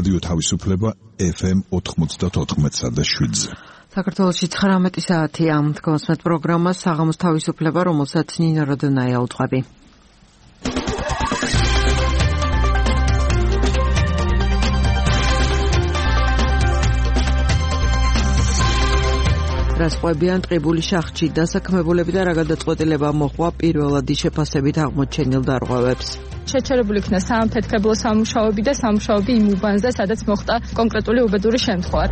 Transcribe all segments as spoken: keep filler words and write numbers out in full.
რადიო თავისუფლება ეფ ემ ოთხმოცდაოთხ და შვიდზე. საქართველოში ცხრამეტი საათია. დგომსმეთ პროგრამას საღამოს თავისუფლება, რომელსაც ნინა როდონაია უძღვები. რასყვებიან ტყიბული შახჭი დასაქმებულები და რა გადაწყვეტილება მოჰყვა პირველადი შეფასებით აღმოჩენილ დარღვევებს. შეჩერებული იქნა საამფეთქებლო სამუშაოები და სამუშაოები იმ უბანზე, სადაც მოხდა კონკრეტული უბედური შემთხვევა.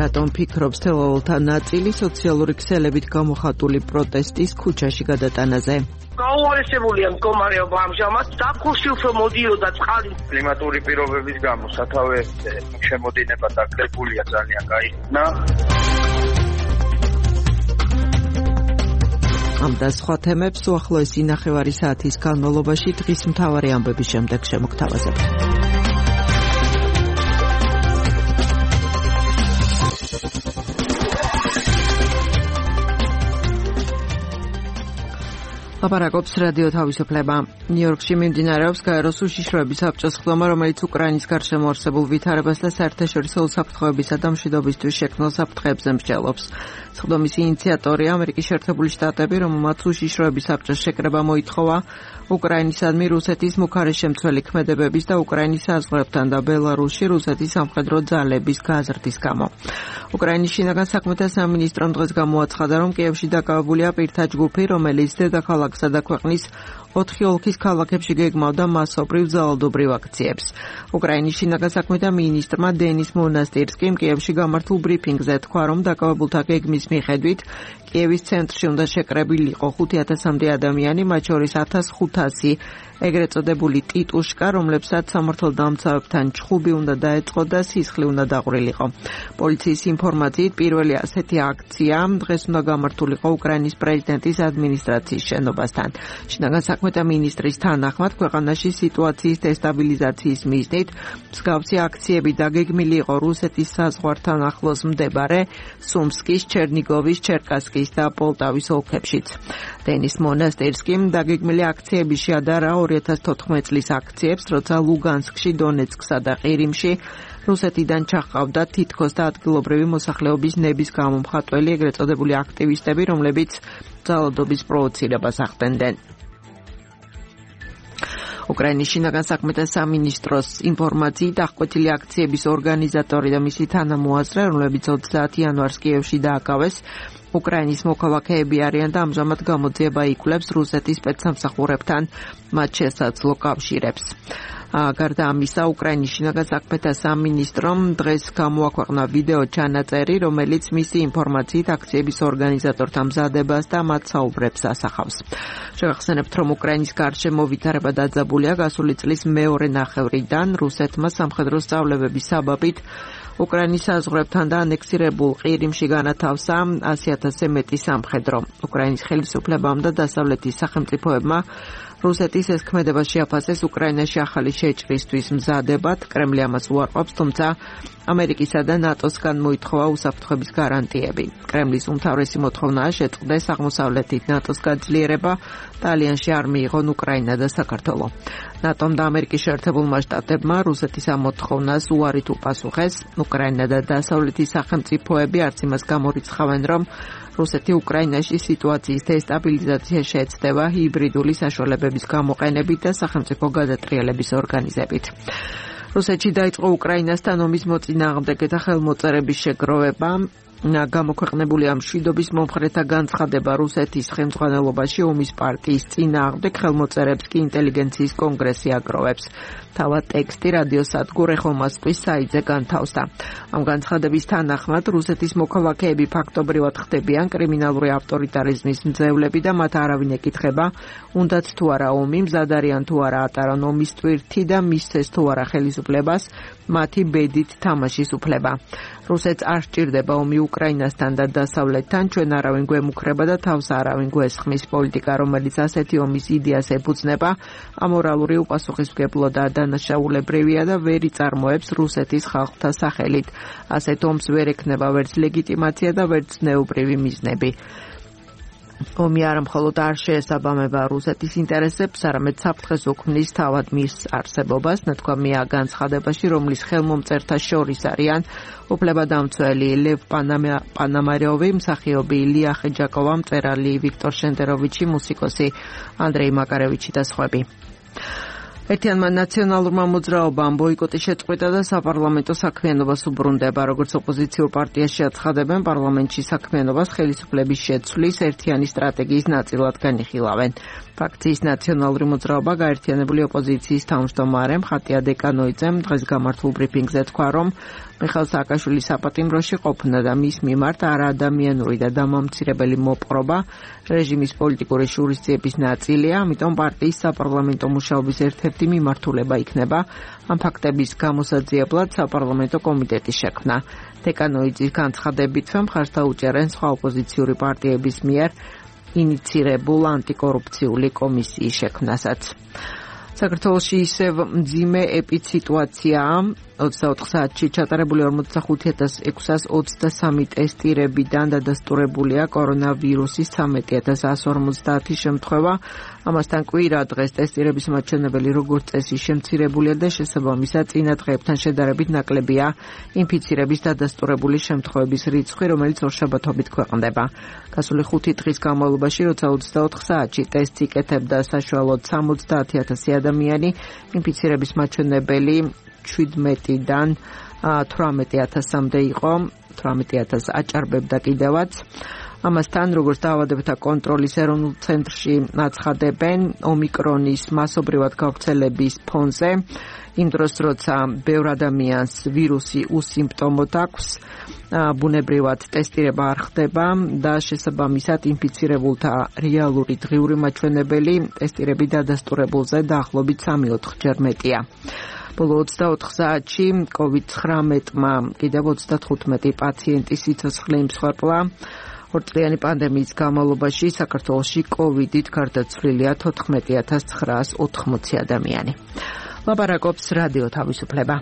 რატომ ფიქრობს თელაოლთა ნაწილი სოციალური ქსელებით გამოხატული პროტესტის ქუჩაში გადატანაზე? გაუარესებულია მდგომარეობა ამჟამად. დაქუში უფრო მოდიოდა წყალი. კლიმატური პირობების გამო სათავე შემოდინება დაკრებულია ძალიან გაიხსნა. ამ და სხვა თემებს უახლოესი ნახევარი საათის განმავლობაში დღის მთავარი ამბების შემდეგ შემოგთავაზებთ. ლაპარაკობს რადიო თავისუფლება. ნიუ-იორკში მიმდინარეობს გაეროს უშიშროების საბჭოს ხდომა, რომელიც უკრაინის გარშემო არსებულ ვითარებას და საერთაშორისო უსაფრთხოებისა და მშვიდობისთვის შექმნილ საფრთხეებზე მსჯელობს. ხდომის ინიციატორი ამერიკის შეერთებული შტატები, რომელმაც უშიშროების საბჭოს შეკრება მოითხოვა უკრაინისადმი რუსეთის მუქარეს-შემცველი ქმედებების და უკრაინის საზღვრებთან და ბელარუსში რუსეთის სამხედრო ძალების გაზრდის გამო. უკრაინის შინაგან საქმეთა სამინისტრომ დღეს გამოაცხადა, რომ კიევში დაკავებულია პირთა ჯგუფი, რომელიც დედაქალაქსა და ქვეყნის ოთხი ოლქის ქალაქებში გეგმავდა მასობრივ ძალადობრივ აქციებს. უკრაინის შინაგან საქმეთა მინისტრმა დენის მონასტირსკიმ კიევში გამართულ ბრიფინგზე თქვა, რომ დაკავებულთა გეგმის მიხედვით კიევის ცენტრში უნდა შეკრებილიყო ხუთი ათასამდე ადამიანი, მათ შორის ათას ხუთასი ეგრეთ წოდებული ტიტუშკა, რომლებსაც სამართალდამცავებთან ჩხუბი უნდა დაეწყო და სისხლი უნდა დაყვრილიყო. პოლიციის ინფორმაციით პირველი ასეთი აქცია დღეს უნდა გამართულიყო უკრაინის პრეზიდენტის ადმინისტრაციის შენობასთან. შინაგან საქმეთა მინისტრის თანახმად ქვეყანაში სიტუაციის დესტაბილიზაციის მიზნით მსგავსი აქციები დაგეგმილი იყო რუსეთის საზღვართან ახლოს მდებარე სუმსკის, ჩერნიგოვის, ჩერკასკის და პოლტავის ოლქებშიც. დენის მონასტირსკიმ დაგეგმილი აქციები შეადარა ორი ათას თოთხმეტ წლის აქციებს, როცა ლუგანსკში, დონეცკსა და ყირიმში რუსეთიდან ჩაჰყავდა თითქოს და ადგილობრივი მოსახლეობის ნების გამომხატველი ეგრეთ წოდებული აქტივისტები, რომლებიც ძალადობის პროვოცირებას ახდენდნენ. უკრაინის შინაგან საქმეთა სამინისტროს ინფორმაციით აღკვეთილი აქციების ორგანიზატორი და მისი თანამოაზრე, რომლებიც ოცდაათი იანვარს კიევში დააკავეს, უკრაინის მოქალაქეები არიან და ამჟამად გამოძიება იკვლევს რუსეთის სპეცსამსახურებთან მათ შესაძლო კავშირებს. გარდა ამისა, უკრაინის შინაგან საქმეთა სამინისტრომ დღეს გამოაქვეყნა ვიდეო ჩანაწერი, რომელიც მისი ინფორმაციით აქციების ორგანიზატორთა მზადებას და მათ საუბრებს ასახავს. შევახსენებთ, რომ უკრაინის გარშემო ვითარება დაძაბულია გასული წლის მეორე ნახევრიდან რუსეთმა სამხედრო სწავლებების საბაბით უკრაინის საზღვრებთან და ანექსირებულ ყირიმში განათავსა ასი ათასზე მეტი სამხედრო. უკრაინის ხელისუფლებამ და დასავლეთის სახელმწიფოებმა რუსეთის ეს ქმედება შეაფასეს უკრაინაში ახალი შეჭრისთვის მზადებად. კრემლი ამას უარყოფს, თუმცა ამერიკისა და ნატოსგან მოითხოვა უსაფრთხოების გარანტიები. კრემლის უმთავრესი მოთხოვნაა შეწყდეს აღმოსავლეთით ნატოს გაძლიერება, ტალიანში არ მიიღონ უკრაინა და საქართველო. ნატომ და ამერიკის შეერთებულმა შტატებმა რუსეთის ამ მოთხოვნას უარით უპასუხეს. უკრაინა და დასავლეთის სახელმწიფოები არც იმას გამორიცხავენ, რომ რუსეთი უკრაინაში სიტუაციის დესტაბილიზაცია შეეცდება ჰიბრიდული საშუალებების გამოყენებით და სახელმწიფო გადატრიალების ორგანიზებით. რუსეთში დაიწყო უკრაინასთან ომის მოწინააღმდეგეთა ხელმოწერების შეგროვება. გამოქვეყნებულია მშვიდობის მომხრეთა განცხადება რუსეთის ხელმძღვანელობაში ომის პარტიის წინააღმდეგ ხელმოწერებს კი ინტელიგენციის კონგრესი აგროვებს. თავად ტექსტი რადიოსადგურ ეხო მოსკვის საიტზე განთავსდა. ამ განცხადების თანახმად რუსეთის მოქალაქეები ფაქტობრივად ხდებიან კრიმინალური ავტორიტარიზმის მძევლები და მათ არავინ ეკითხება, უნდათ თუ არა ომი, მზად არიან თუ არა ატარონ ომის ტვირთი და მისცეს თუ არა ხელისუფლებას მათი ბედით თამაშის უფლება. რუსეთს არ სჭირდება ომი უკრაინასთან და დასავლეთთან, ჩვენ არავინ გვემუქრება და თავს არავინ გვესხმის. პოლიტიკა, რომელიც ასეთი ომის იდეას ეფუძნება, ამორალური, უპასუხისმგებლო და დანაშაულებრივია და ვერ იწარმოებს რუსეთის ხალხთა სახელით. ასეთ ომს ვერ ექნება ვერც ლეგიტიმაცია და ვერც ზნეობრივი მიზნები. ომი არა მხოლოდ არ შეესაბამება რუსეთის ინტერესებს, არამედ საფრთხეს უქმნის თავად მის არსებობას, ნათქვამია განცხადებაში, რომლის ხელმომწერთა შორის არიან უფლებადამცველი ლევ პანამაროვი, მსახიობი ილია ხეჯაკოვა, მწერალი ვიქტორ შენდეროვიჩი, მუსიკოსი ანდრეი მაკარევიჩი და სხვები. ერთიანმა ნაციონალურმა მოძრაობამ ბოიკოტი შეწყვიტა და საპარლამენტო საქმიანობას უბრუნდება. როგორც ოპოზიციურ პარტიაში აცხადებენ, პარლამენტში საქმიანობას ხელისუფლების შეცვლის ერთიანი სტრატეგიის ნაწილად განიხილავენ. ფრაქციის ნაციონალური მოძრაობა გაერთიანებული ოპოზიციის თავმჯდომარე მხატია დეკანოიძემ დღეს გამართულ ბრიფინგზე თქვა, რომ მიხეილ სააკაშვილის საპატიმროში ყოფნა და მის მიმართ არაადამიანური და დამამცირებელი მოპყრობა რეჟიმის პოლიტიკური შურისძიების ნაწილია, ამიტომ პარტიის საპარლამენტო მუშაობის ერთ-ერთი მიმართულება იქნება ამ ფაქტების გამოსაძიებლად საპარლამენტო კომიტეტის შექმნა. დეკანოიძის განცხადებით, მხარს დაუჭერენ სხვა ოპოზიციური პარტიების მიერ ინიცირებულ ანტიკორუფციული კომისიის შექმნასაც. საქართველოში ისევ მძიმე ეპიდსიტუაციაა. ოცდაოთხ საათში ჩატარებული ორმოცდახუთი ათას ექვსას ოცდასამი ტესტირებიდან დადასტურებულია კორონავირუსის ცამეტი ათას εκατო ორმოცდაათი შემთხვევა. ამასთან კვირა დღეს ტესტირების მაჩვენებელი როგორც წესი შემცირებულია და შესაბამისად წინა დღეებთან შედარებით ნაკლებია ინფიცირების დადასტურებული შემთხვევების რიცხვი, რომელიც ორშაბათობით ქვეყნდება. გასული ხუთი დღის განმავლობაში, როცა ოცდაოთხ საათში ტესტს იკეთებდა საშუალოდ სამოცდაათი ათასი ადამიანი, ინფიცირების მაჩვენებელი შვიდმეტიდან თვრამეტი ათასამდე იყო, თვრამეტი ათასს აჭარბებდა კიდევაც. ამასთან, როგორც დაავადებათა კონტროლის ეროვნულ ცენტრში აცხადებენ, ომიკრონის მასობრივად გავრცელების ფონზე, იმ დროს, როცა ბევრ ადამიანს ვირუსი უსიმპტომოდ აქვს, ბუნებრივად ტესტირება არ ხდება და შესაბამისად ინფიცირებულთა რეალური დღიური მაჩვენებელი ტესტირების დადასტურებულზე დაახლოებით სამი ოთხჯერ მეტია. ბოლო ოცდაოთხ საათში კოვიდ ცხრამეტმა კიდევ ოცდათხუთმეტი პაციენტის სიცოცხლე იმსხვერპლა. ორწლიანი პანდემიის განმავლობაში საქართველოში კოვიდით გარდაცვლილია თოთხმეტი ათას ცხრაას ოთხმოცი ადამიანი. ლაპარაკობს რადიო თავისუფლება.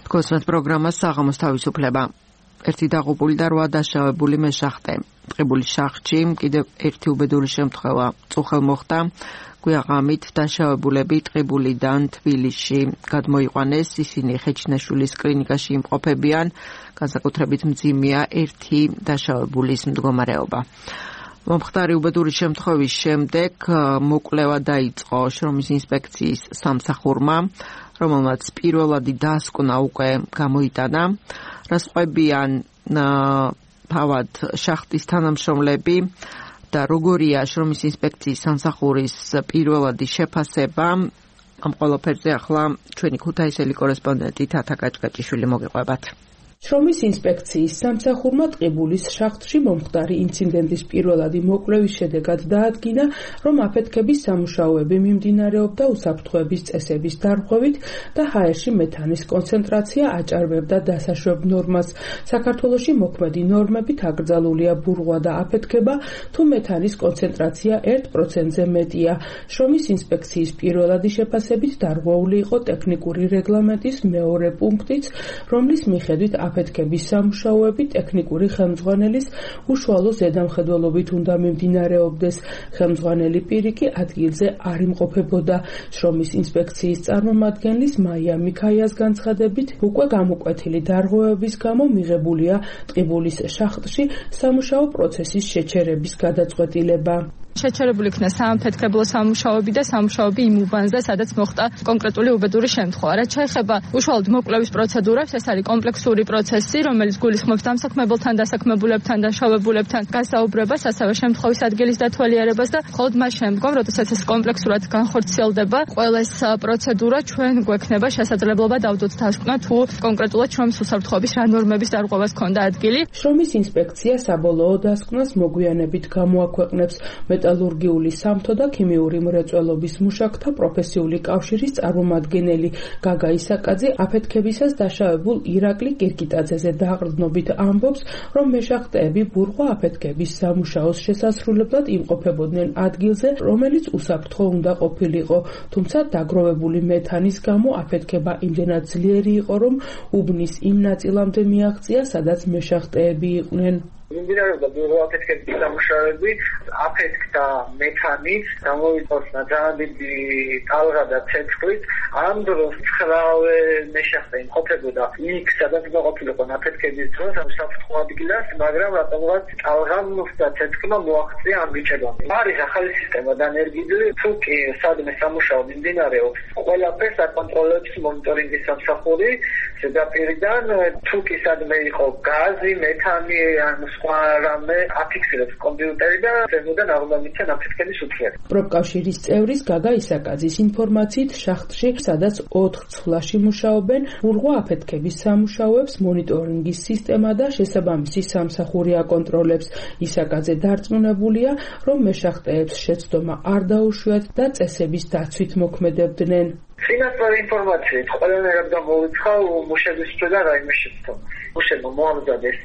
გოსმეთ პროგრამა საღამოს თავისუფლება. ერთი დაღუპული და რვა დაშავებული მეშახტე. ტყიბულის შახტში კიდევ ერთი უბედური შემთხვევა წუხელ მოხდა. გვიაღამით დაშავებულები ტყიბულიდან თბილისში გადმოიყვანეს, ისინი ხეჩნაშვილის კლინიკაში იმყოფებიან, განსაკუთრებით მძიმეა ერთი დაშავებულის მდგომარეობა. მომხდარი უბედური შემთხვევის შემდეგ მოკვლევა დაიწყო შრომის ინსპექციის სამსახურმა, რომელმაც პირველადი დასკვნა უკვე გამოიტანა. რასყვებიან თავად შახტის თანამშრომლები და როგორია შრომის ინსპექციის სამსახურის პირველადი შეფასება, ამ ყველაფერზე ახლა ჩვენი ქუთაისელი კორესპონდენტი თათა კაჭკაჭიშვილი მოგიყვებათ. შრომის ინსპექციის სამსახურმა ტყიბულის შახტში მომხდარი ინციდენტის პირველადი მოკვლევის შედეგად დაადგინა, რომ აფეთქების სამუშაოები მიმდინარეობდა უსაფრთხოების წესების დარღვევით და ჰაერში მეთანის კონცენტრაცია აჭარბებდა დასაშვებ ნორმას. საქართველოში მოქმედი ნორმებით აკრძალულია ბურღვა და აფეთქება, თუ მეთანის კონცენტრაცია ერთ პროცენტზე მეტია. შრომის ინსპექციის პირველადი შეფასებით დარღვეული იყო ტექნიკური რეგლამენტის მეორე პუნქტიც, რომლის მიხედვით აფეთქების სამუშაოები ტექნიკური ხელმძღვანელის უშუალო ზედამხედველობით უნდა მიმდინარეობდეს. ხელმძღვანელი პირი კი ადგილზე არ იმყოფებოდა. შრომის ინსპექციის წარმომადგენლის მაია მიქაიას განცხადებით, უკვე გამოკვეთილი დარღვევების გამო მიღებულია ტყიბულის შახტში სამუშაო პროცესის შეჩერების გადაწყვეტილება. შეჩერებული იქნა საამფეთქებლო სამუშაოები და სამუშაოები იმ უბანზე, სადაც მოხდა კონკრეტული უბედური შემთხვევა. რაც შეეხება უშუალოდ მოკვლევის პროცედურებს, ეს არის კომპლექსური პროცესი, რომელიც გულისხმობს დამსაქმებელთან, დასაქმებულებთან, დაშავებულებთან გასაუბრებას, ასევე შემთხვევის ადგილის დათვალიერებას და მხოლოდ მას შემდგომ, როდესაც ეს კომპლექსურად განხორციელდება, ყველა ეს პროცედურა ჩვენ გვექნება შესაძლებლობა დავდოთ დასკვნა, თუ კონკრეტულად შრომის უსაფრთხოების რა ნორმების დარღვევას ქონდა ადგილი. შრომის ინსპექცია საბოლოო დასკვნას მოგვიანებით გამოაქვეყნებს. მეტალურგიული, სამთო და ქიმიური მრეწველობის მუშაკთა პროფესიული კავშირის წარმომადგენელი გაგა ისაკაძე აფეთქებისას დაშავებულ ირაკლი კირკიტაძეზე დაყრდნობით ამბობს, რომ მეშახტეები ბურღვა აფეთქების სამუშაოს შესასრულებლად იმყოფებოდნენ ადგილზე, რომელიც უსაფრთხო უნდა ყოფილიყო, თუმცა დაგროვებული მეთანის გამო აფეთქება იმდენად ძლიერი იყო, რომ უბნის იმ ნაწილამდე მიაღწია, სადაც მეშახტეები იყვნენ. მიმდინარეობდა ბურღვა აფეთქების სამუშაოები, აფეთქდა მეთანით, გამოვიწორდა ძალიან დიდი ტალღა და ცეცხლით. ამ დროს ცხრაავე მეშახტე იმყოფებოდა იქ, სადაც უნდა ყოფილიყო აფეთქების დროს, ამ საფრთხო ადგილას, მაგრამ რატომღაც ტალღამ და ცეცხლმა მოაღწია ამ ბიჭებამდე. არის ახალი სისტემა დანერგილი, თუ კი სადმე სამუშაო მიმდინარეობს, ყველაფერს აკონტროლებს მონიტორინგის სამსახური ზედაპირიდან, თუ კი სადმე იყო გაზი, მეთანი, ან სხვა რამე აფიქსირებს კომპიუტერი და ზემოდან აღმოჩნდა აფეთქების უთხრება. პროფკავშირის წევრის გაგა ისაკაძის ინფორმაციით შახტში, სადაც ოთხ ცვლაში მუშაობენ, ბურღვა აფეთქების სამუშაოებს მონიტორინგის სისტემა და შესაბამისი სამსახური აკონტროლებს. ისაკაძე დარწმუნებულია, რომ მეშახტეებს შეცდომა არ დაუშვიათ და წესების დაცვით მოქმედებდნენ. Finansური ინფორმაციით ყველანაირად გამოვიცხა მუშების და რაიმე შეცდომა. მუშებმა მოამზადეს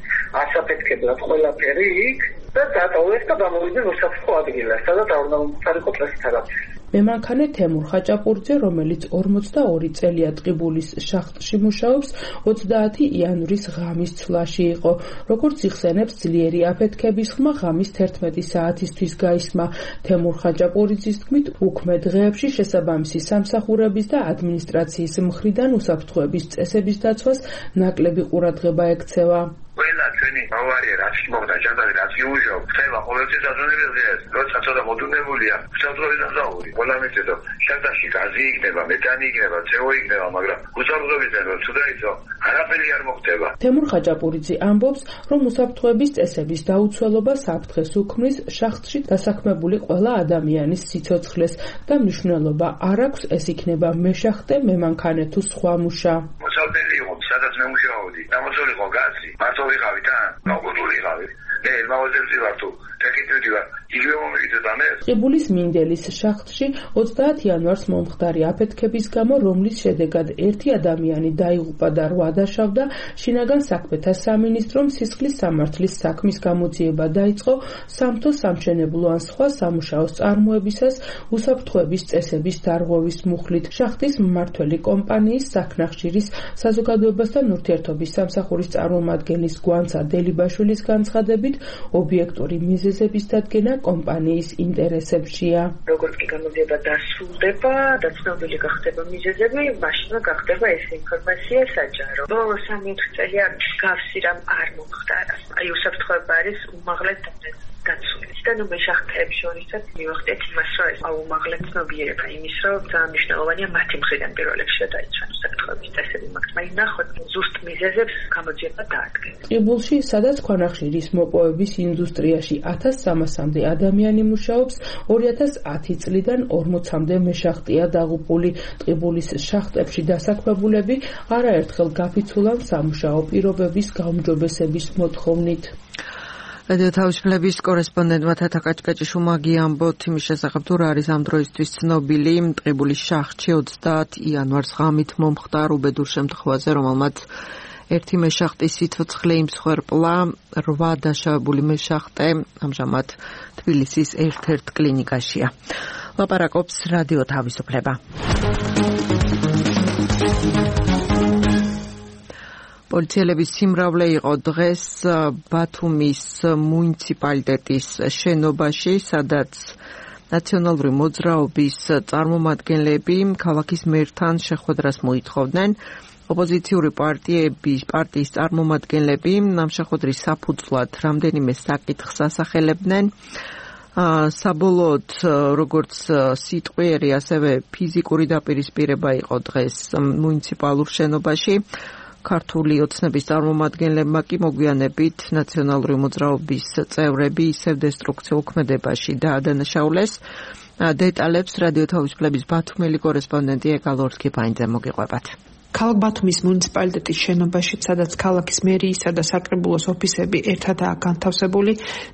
ასაფეთქებლად ყველაფერი იქ და დატოვეს და გამოვიდნენ უსაფრთხო ადგილას, სადაც არ უნდა მომხდარიყო წესით არაფერი. მემანქანე თემურ ხაჭაპურიძე, რომელიც ორმოცდაორი წელია ტყიბულის შახტში მუშაობს, ოცდაათი იანვრის ღამის ცვლაში იყო. როგორც იხსენებს, ძლიერი აფეთქების ხმა ღამის თერთმეტი საათისთვის გაისმა. თემურ ხაჭაპურიძის თქმით, უქმე დღეებში შესაბამისი სამსახურების და ადმინისტრაციის მხრიდან უსაფრთხოების წესების დაცვას ნაკლები ყურადღება ექცევა. ყველა ჩვენი ავარია რაც მოხდა ჯანდარი რაც იუჟო ხდება ყოველთვის აზროვნებელს როცა ცოტა მოდუნებულია უსაფრთხოების დაზავური ყველა მიწედო შტატში გაზი იქნება მეთანი იქნება ცეო იქნება მაგრამ უსაფრთხოების დაზავური თუ დაიცო არაფერი არ მოხდება. თემურ ხაჭაპურიძე ამბობს, რომ უსაფრთხოების წესების დაუცველობა საფრთხეს უქმნის შახტში დასაქმებული ყველა ადამიანის სიცოცხლეს და მნიშვნელობა არ აქვს ეს იქნება მეშახტე, მემანქანე თუ სხვა მუშა. მოსალდელი იყო სადაც მე მუშაობდი დამოწოლიყო გაზი მარტო ვიყავი და მოგებული ვიყავი მე მაღაზიაში ვარ თუ ტექნიკები ვარ იგივე მომიგიწევდა მე ტყიბულის მინდელის შახტში ოცდაათი იანვარს მომხდარი აფეთქების გამო, რომლის შედეგად ერთი ადამიანი დაიღუპა და რვა დაშავდა, შინაგან საქმეთა სამინისტრომ სისხლის სამართლის საქმის გამოძიება დაიწყო სამთო სამშენებლო ან სხვა სამუშაოს წარმოებისას უსაფრთხოების წესების დარღვევის მუხლით. შახტის მმართველი კომპანიის საქნახშირის საზოგადოებასთან ურთიერთობის სამსახურის წარმომადგენლის გვანცა დელიბაშვილის განცხადებით, ობიექტური მიზეზების დადგენა კომპანიის ინტერესებშია. როგორც კი გამოძიება დასრულდება და ცნობილი გახდება მიზეზები, მაშინ გახდება ეს ინფორმაცია საჯარო. ბოლო სამი წელია გავსი რამ არ მომხდარა. აი უსაფრთხოება არის უმაღლეს დაცული. და ნუ მეშახტეებს შორისაც მივახდეთ იმას, რომ ეს აუმაღლეთ ცნობიერება იმის, რომ ძალიან მნიშვნელოვანია მათი მხრიდან პირველ რიგში დაიცვან უსაფრთხოების წესები, მაგრამ ნახოთ ზუსტ მიზეზებს გამოძიება დაადგეს. ტყიბულში, სადაც ქვანახშირის მოპოვების ინდუსტრიაში ათას სამასამდე ადამიანი მუშაობს, ორი ათას ათი წლიდან ორმოცამდე მეშახტეა დაღუპული. ტყიბულის შახტებში დასაქმებულები არაერთხელ გაფიცულან სამუშაო პირობების გაუმჯობესების მოთხოვნით. რადიო თავისუფლების კორესპონდენტმა თათა კაჭკაჭიშვილმა ამბობთ იმის შესახებ, თუ რა არის ამ დროისთვის ცნობილი ტყიბულის შახტში ოცდაათი იანვარს ღამით მომხდარ უბედურ შემთხვევაზე, რომელმაც ერთი მეშახტის სიცოცხლე იმსხვერპლა, რვა დაშავებული მეშახტე ამჟამად თბილისის ერთ-ერთ კლინიკაშია. ლაპარაკობს რადიო თავისუფლება. პოლიციელების სიმრავლე იყო დღეს ბათუმის მუნიციპალიტეტის შენობაში, სადაც ნაციონალური მოძრაობის წარმომადგენლები ქალაქის მერთან შეხვედრას მოითხოვდნენ. ოპოზიციური პარტიების პარტიის წარმომადგენლები ამ შეხვედრის საფუძვლად რამდენიმე საკითხს ასახელებდნენ. საბოლოოდ, როგორც სიტყვიერი, ასევე ფიზიკური დაპირისპირება იყო დღეს მუნიციპალურ შენობაში. ქართული ოცნების წარმომადგენლებმა კი მოგვიანებით ნაციონალური მოძრაობის წევრები ისევ დესტრუქციულ ქმედებაში დაადანაშაულეს. დეტალებს რადიო თავისუფლების ბათუმელი კორესპონდენტი ეკალორსკი-ფაინძე მოგიყვებათ. ქალაქ ბათუმის მუნიციპალიტეტის შენობაში, სადაც ქალაქის მერიისა და საკრებულოს ოფისები ერთადაა განთავსებული,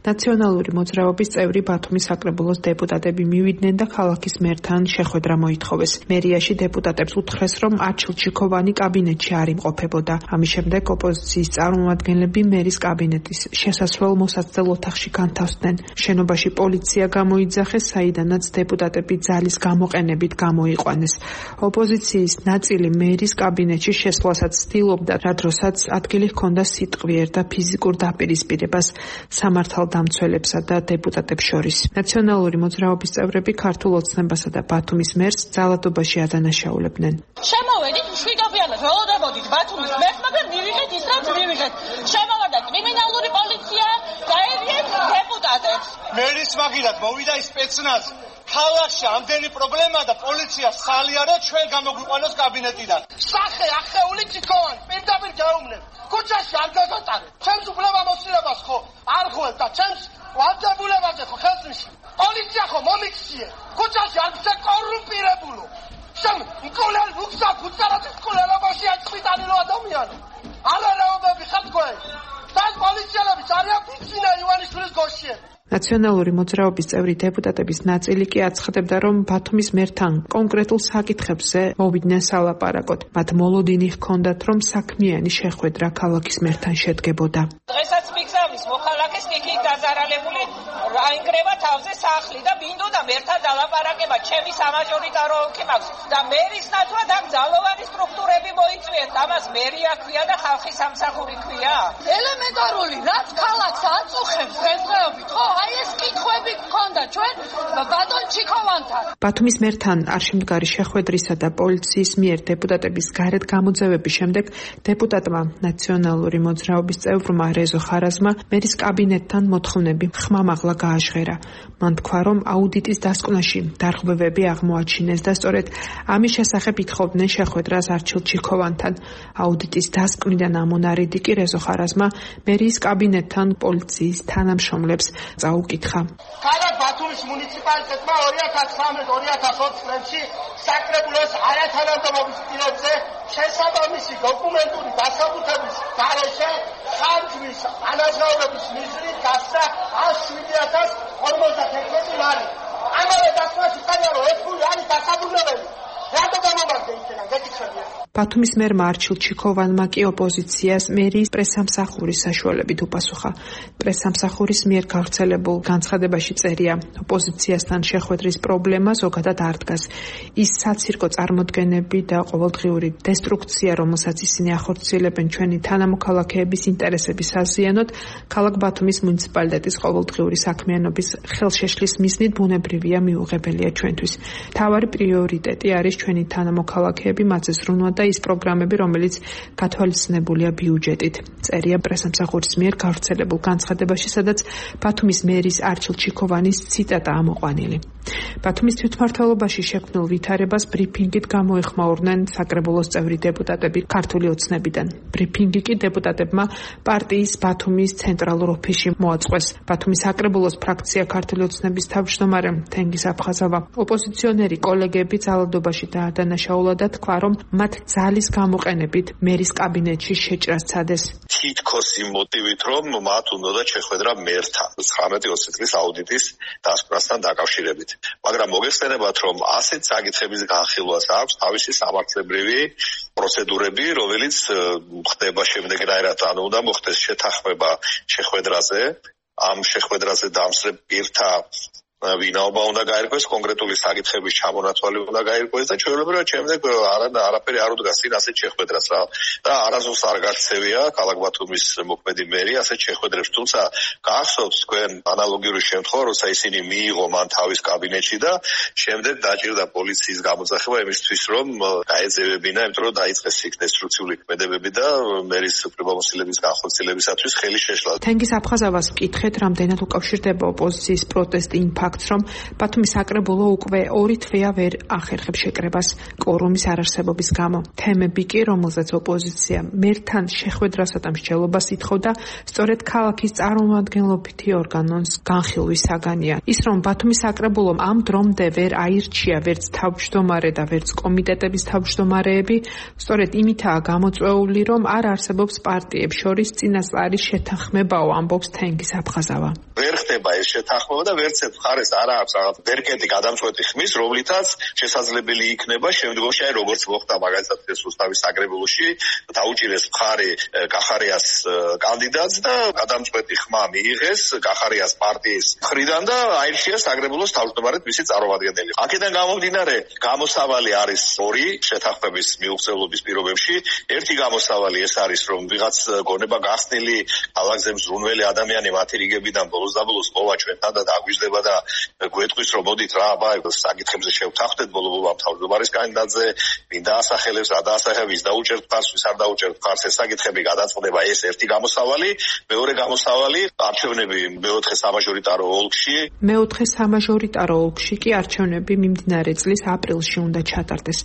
ნაციონალური მოძრაობის წევრი ბათუმის საკრებულოს დეპუტატები მივიდნენ და ქალაქის მერთან შეხვედრა მოითხოვეს. მერიაში დეპუტატებს უთხრეს, რომ არჩილ ჩიქოვანი კაბინეტში არ იმყოფებოდა. ამის შემდეგ ოპოზიციის წარმომადგენლები მერის კაბინეტის შესასვლელ მოსაცდელ ოთახში განთავსდნენ. შენობაში პოლიცია გამოიძახეს, საიდანაც დეპუტატები ძალის გამოყენებით გამოიყვანეს. ოპოზიციის ნაწილი მერის კაბინეტში შესვლასაც ცდილობდა, რა დროსაც ადგილი ჰქონდა სიტყვიერ და ფიზიკურ დაპირისპირებას სამართალდამცველებსა და დეპუტატებს შორის. ნაციონალური მოძრაობის წევრები ქართულ ოცნებასა და ბათუმის მერს ძალადობაში ადანაშაულებდნენ. შემოვედით მშვიდობიანად, ველოდებოდით ბათუმის მერს, მაგრამ მივიღეთ ის, რაც მივიღეთ. შემოვარდა კრიმინალური პოლიცია, გაერიეთ დეპუტატებს. მერის მაგირად მოვიდა ის სპეცნაზი. ქალაქში ამდენი პრობლემა და პოლიცია სალიარო ჩვენ გამოგვიყვანოს კაბინეტიდან. სახე ახეული ჩიქოვანი პირდაპირ გაუმნებ. ქუჩაში არ გაგატარეთ. ჩემს უფლება მოსილებას ხო არ ხვევ და ჩემს ვალდებულებაზე ხო ხელს მისვი. პოლიცია ხო მომიქციე. ქუჩაში არ გზა კორუმპირებულო. შენ მკოლელ უხსა ქუჩარაძის კოლელობაში აწვიტანილო ადამიანი. არარაობები ხარ თქვენ. და პოლიციელები ძალიან ფიცინა ივანიშვილის გოშიები. ნაციონალური მოძრაობის წევრი დეპუტატების ნაწილი კი აცხადებდა, რომ ბათუმის მერთან კონკრეტულ საკითხებზე მოვიდნენ სალაპარაკოდ. მათ მოლოდინი ჰქონდათ, რომ საქმიანი შეხვედრა ქალაქის მერთან შედგებოდა. დღესაც მიგზავნის მოხალხეს იქ დაზარალებული აინგრევა თავზე სახლი და მინდოდა მერთან დალაპარაკება, ჩემი სამაჟორიტარო ოლქი მაქვს და მერის ნაცვლად აქ ძალოვანი სტრუქტურები მოიწვიეთ. ამას მერია ქვია და ხალხის სამსახური ქვია. ელემენტარული, რაც ქალაქს აწუხებს დღესდღეობით, ხო? აი ეს კითხვები გქონდა ჩვენ ბატონ ჩიქოვანთან. ბათუმის მერთან არ შემდგარი შეხვედრისა და პოლიციის მიერ დეპუტატების გარეთ გამოძევების შემდეგ დეპუტატმა ნაციონალური მოძრაობის წევრმა რეზო ხარაზმა მერის კაბინეტთან მოთხოვნები ხმამაღლა გააჟღერა. მან თქვა, რომ აუდიტის დასკვნაში დარღვევები აღმოაჩინეს და სწორედ ამის შესახებ ითხოვდნენ შეხვედრას არჩილ ჩიქოვანთან. აუდიტის დასკვნიდან ამონარიდი კი რეზო ხარაზმა მერის კაბინეტთან პოლიციის თანამშრომლებს წაუკითხა. ქალაქ ბათუმის მუნიციპალიტეტმა ორი ათას ცხრამეტ ორი ათას ოცი წლებში საკრებულოს არათანამდებობის პირებზე შესაბამისი დოკუმენტური დასაბუთების გარეშე ხარჯვის ანაზღაურების მიზნით გასცა ათს შვიდი ათას ორმოცდათერთმეტი ლარი. ამავე დასკვნაში წერია, რომ ეს ფული არის დასაბრუნებელი. რატო გამომაგდა იქიდან გეკითხებია. ბათუმის მერმა არჩილ ჩიქოვანმა კი ოპოზიციას მერის პრესსამსახურის საშუალებით უპასუხა. პრესსამსახურის მიერ გავრცელებულ განცხადებაში წერია, ოპოზიციასთან შეხვედრის პრობლემა ზოგადად არ დგას. ის საცირკო წარმოდგენები და ყოველდღიური დესტრუქცია, რომელსაც ისინი ახორციელებენ ჩვენი თანამოქალაქეების ინტერესების საზიანოდ, ქალაქ ბათუმის მუნიციპალიტეტის ყოველდღიური საქმიანობის ხელშეშლის მიზნით ბუნებრივია მიუღებელია ჩვენთვის. მთავარი პრიორიტეტი არის ჩვენი თანამოქალაქეები, მათზე ზრუნვა და ის პროგრამები, რომელიც გათვალისწინებულია ბიუჯეტით. წერია პრესსამსახურის მიერ გავრცელებულ განცხადებაში, სადაც ბათუმის მერის არჩილ ჩიქოვანის ციტატა ამოყვანილი. ბათუმის თვითმმართველობაში შექმნილ ვითარებას ბრიფინგით გამოეხმაურნენ საკრებულოს წევრი დეპუტატები ქართული ოცნებიდან. ბრიფინგი კი დეპუტატებმა პარტიის ბათუმის ცენტრალურ ოფისში მოაწყვეს. ბათუმის საკრებულოს ფრაქცია ქართული ოცნების თავმჯდომარე თენგიზ აფხაზავა ოპოზიციონერი კოლეგები ძალადობაში დაადანაშაულა და თქვა, რომ მათ ძალის გამოყენებით მერის კაბინეტში შეჭრას ცადეს. თითქოს იმ მოტივით, რომ მათ უნდა შეხვედრა მერთან ცხრამეტი ოცი წლის აუდიტის დასკვნასთან დაკავშირებით. მაგრამ მოგეხსენებათ, რომ ასეთ საკითხების განხილვას აქვს თავისი სამართლებრივი პროცედურები, რომელიც ხდება შემდეგნაირად, ანუ უნდა მოხდეს შეთანხმება შეხვედრაზე, ამ შეხვედრაზე დამსწრე პირთა ვინაობა უნდა გაერკვეს, კონკრეტული საკითხების ჩამონათვალი უნდა გაერკვეს და ჩვეულებრივად შემდეგ არა არაფერი არ უდგას წინ ასეთ შეხვედრას რა და არასდროს არ გაქცევია ქალაქ ბათუმის მოქმედი მერი ასეთ შეხვედრებს, თუმცა გახსოვთ თქვენ ანალოგიური შემთხვევა, როცა ისინი მიიღო მან თავის კაბინეტში და შემდეგ დაჭირდა პოლიციის გამოძახება იმისთვის, რომ გაეძევებინა, იმიტომ რომ დაიწყეს იქ დესტრუქციული ქმედებები და მერის უფლებამოსილების განხორციელებისათვის ხელი შეშლა. თენგიზ აფხაზავას მკითხეთ, რამდენად უკავშირდება ოპოზიციის პროტესტი იმ ფაქტს, რომ ბათუმის საკრებულო უკვე ორი თვეა ვერ ახერხებს შეკრებას კვორუმის არარსებობის გამო. თემები კი, რომელზეც ოპოზიცია მერთან შეხვედრასა და მსჯელობას ითხოვდა, სწორედ ქალაქის წარმომადგენლობითი ორგანოს განხილვის საგანია. ის, რომ ბათუმის საკრებულომ ამ დრომდე ვერ აირჩია ვერც თავმჯდომარე და ვერც კომიტეტების თავმჯდომარეები, სწორედ იმითაა გამოწვეული, რომ არ არსებობს პარტიებს შორის წინასწარი შეთანხმებაო, ამბობს თენგიზ აფხაზავა. ვერ ხდება ეს შეთანხმება და ვერც ერთ მხარეს არ აქვს რაღაც ვერკეტი გადამწყვეტი ხმის, რომლითაც შესაძლებელი იქნება შემდგომში, აი როგორც მოხდა მაგალითად რუსთავის საკრებულოში, დაუჭირეს მხარი კახარიას კანდიდატს და გადამწყვეტი ხმა მიიღეს კახარიას პარტიის მხრიდან და აირჩიეს საკრებულოს თავმჯდომარედ მისი წარმომადგენელი. აქედან გამომდინარე, გამოსავალი არის ორი შეთანხმების მიუღწევლობის პირობებში. ერთი გამოსავალი ეს არის, რომ ვიღაც გონება გახსნილი ალაგზე მზრუნველი ადამიანი მათი რიგებიდან ბოლოს და ბოლოს ყოლა ჩვენთან და დაგვიждდება და გვეტყვის, რომ მოდით რა, აბა საკითხებზე შევთანხმდეთ ბოლო-ბოლო თავმჯდომარის კანდიდატზე, ვინ დაასახელებს, რა დაასახელებს, დაუჭერთ ფარს, ვის არ დაუჭერთ ფარს, ეს საკითხები გადაწყდება. ეს ერთი გამოსავალი. მეორე გამოსავალი, არჩევნები მეოთხე სამაჟორიტარო ოლქში. მეოთხე სამაჟორიტარო ოლქში კი არჩევნები მიმდინარე წლის აპრილში უნდა ჩატარდეს.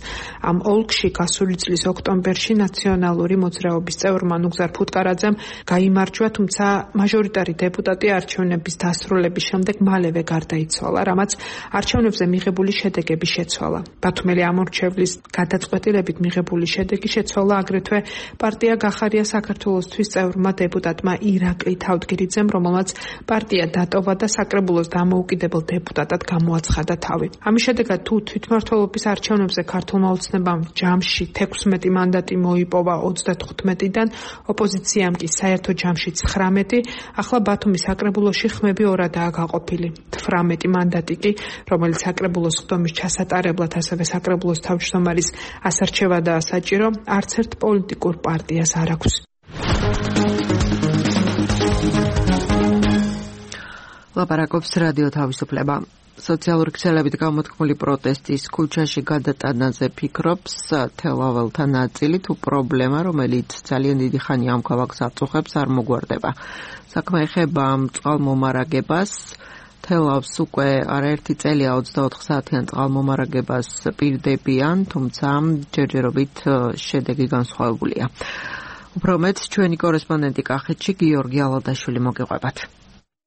ამ ოლქში გასული წლის ოქტომბერში ნაციონალური მოძრაობის წევრმა ნუგზარ ფუტკარაძემ გაიმარჯვა, თუმცა მაჟორიტარი დეპუტატი არჩევნების დასრულების შემდეგ მალევე გარდაიცვალა, რამაც არჩევნებზე მიღებული შედეგები შეცვალა. ბათუმელი ამორჩევლის გადაწყვეტილებით მიღებული შედეგი შეცვალა აგრეთვე პარტია გახარია საქართველოსთვის წევრმა დეპუტატმა ირაკლი თავდგირიძემ, რომელმაც პარტია დატოვა და საკრებულოს დამოუკიდებელ დეპუტატად გამოაცხადა თავი. ამის შედეგად თუ თვითმმართველობის არჩევნებზე ქართულმა ოცნებამ ჯამში თექვსმეტი მანდატი მოიპოვა ოცდათხუთმეტიდან, ოპოზიციამ კი საერთო ჯამში ცხრამეტი, ახლა ბათუმის საკრებულოში ხმები ორადაა გაყოფილი. თვრამეტი მანდატი კი, რომელიც საკრებულოს ხდომის ჩასატარებლად, ასევე საკრებულოს თავმჯდომარის ასარჩევადაა საჭირო, არც ერთ პოლიტიკურ პარტიას არ აქვს. ლაპარაკობს რადიო თავისუფლება. სოციალური ქსელებით გამოთქმული პროტესტის ქუჩაში გადატანაზე ფიქრობს თელაველთა ნაწილი, თუ პრობლემა, რომელიც ძალიან დიდი ხანია ამ ქალაქს აწუხებს, არ მოგვარდება. საქმე ეხება ამ წყალმომარაგებას. თელავს უკვე არაერთი წელია ოცდაოთხ საათიან წყალმომარაგებას პირდებიან, თუმცა ჯერჯერობით შედეგი განსხვავებულია. უფრო მეტ ჩვენი კორესპონდენტი კახეთში გიორგი ალადაშვილი მოგიყვებათ.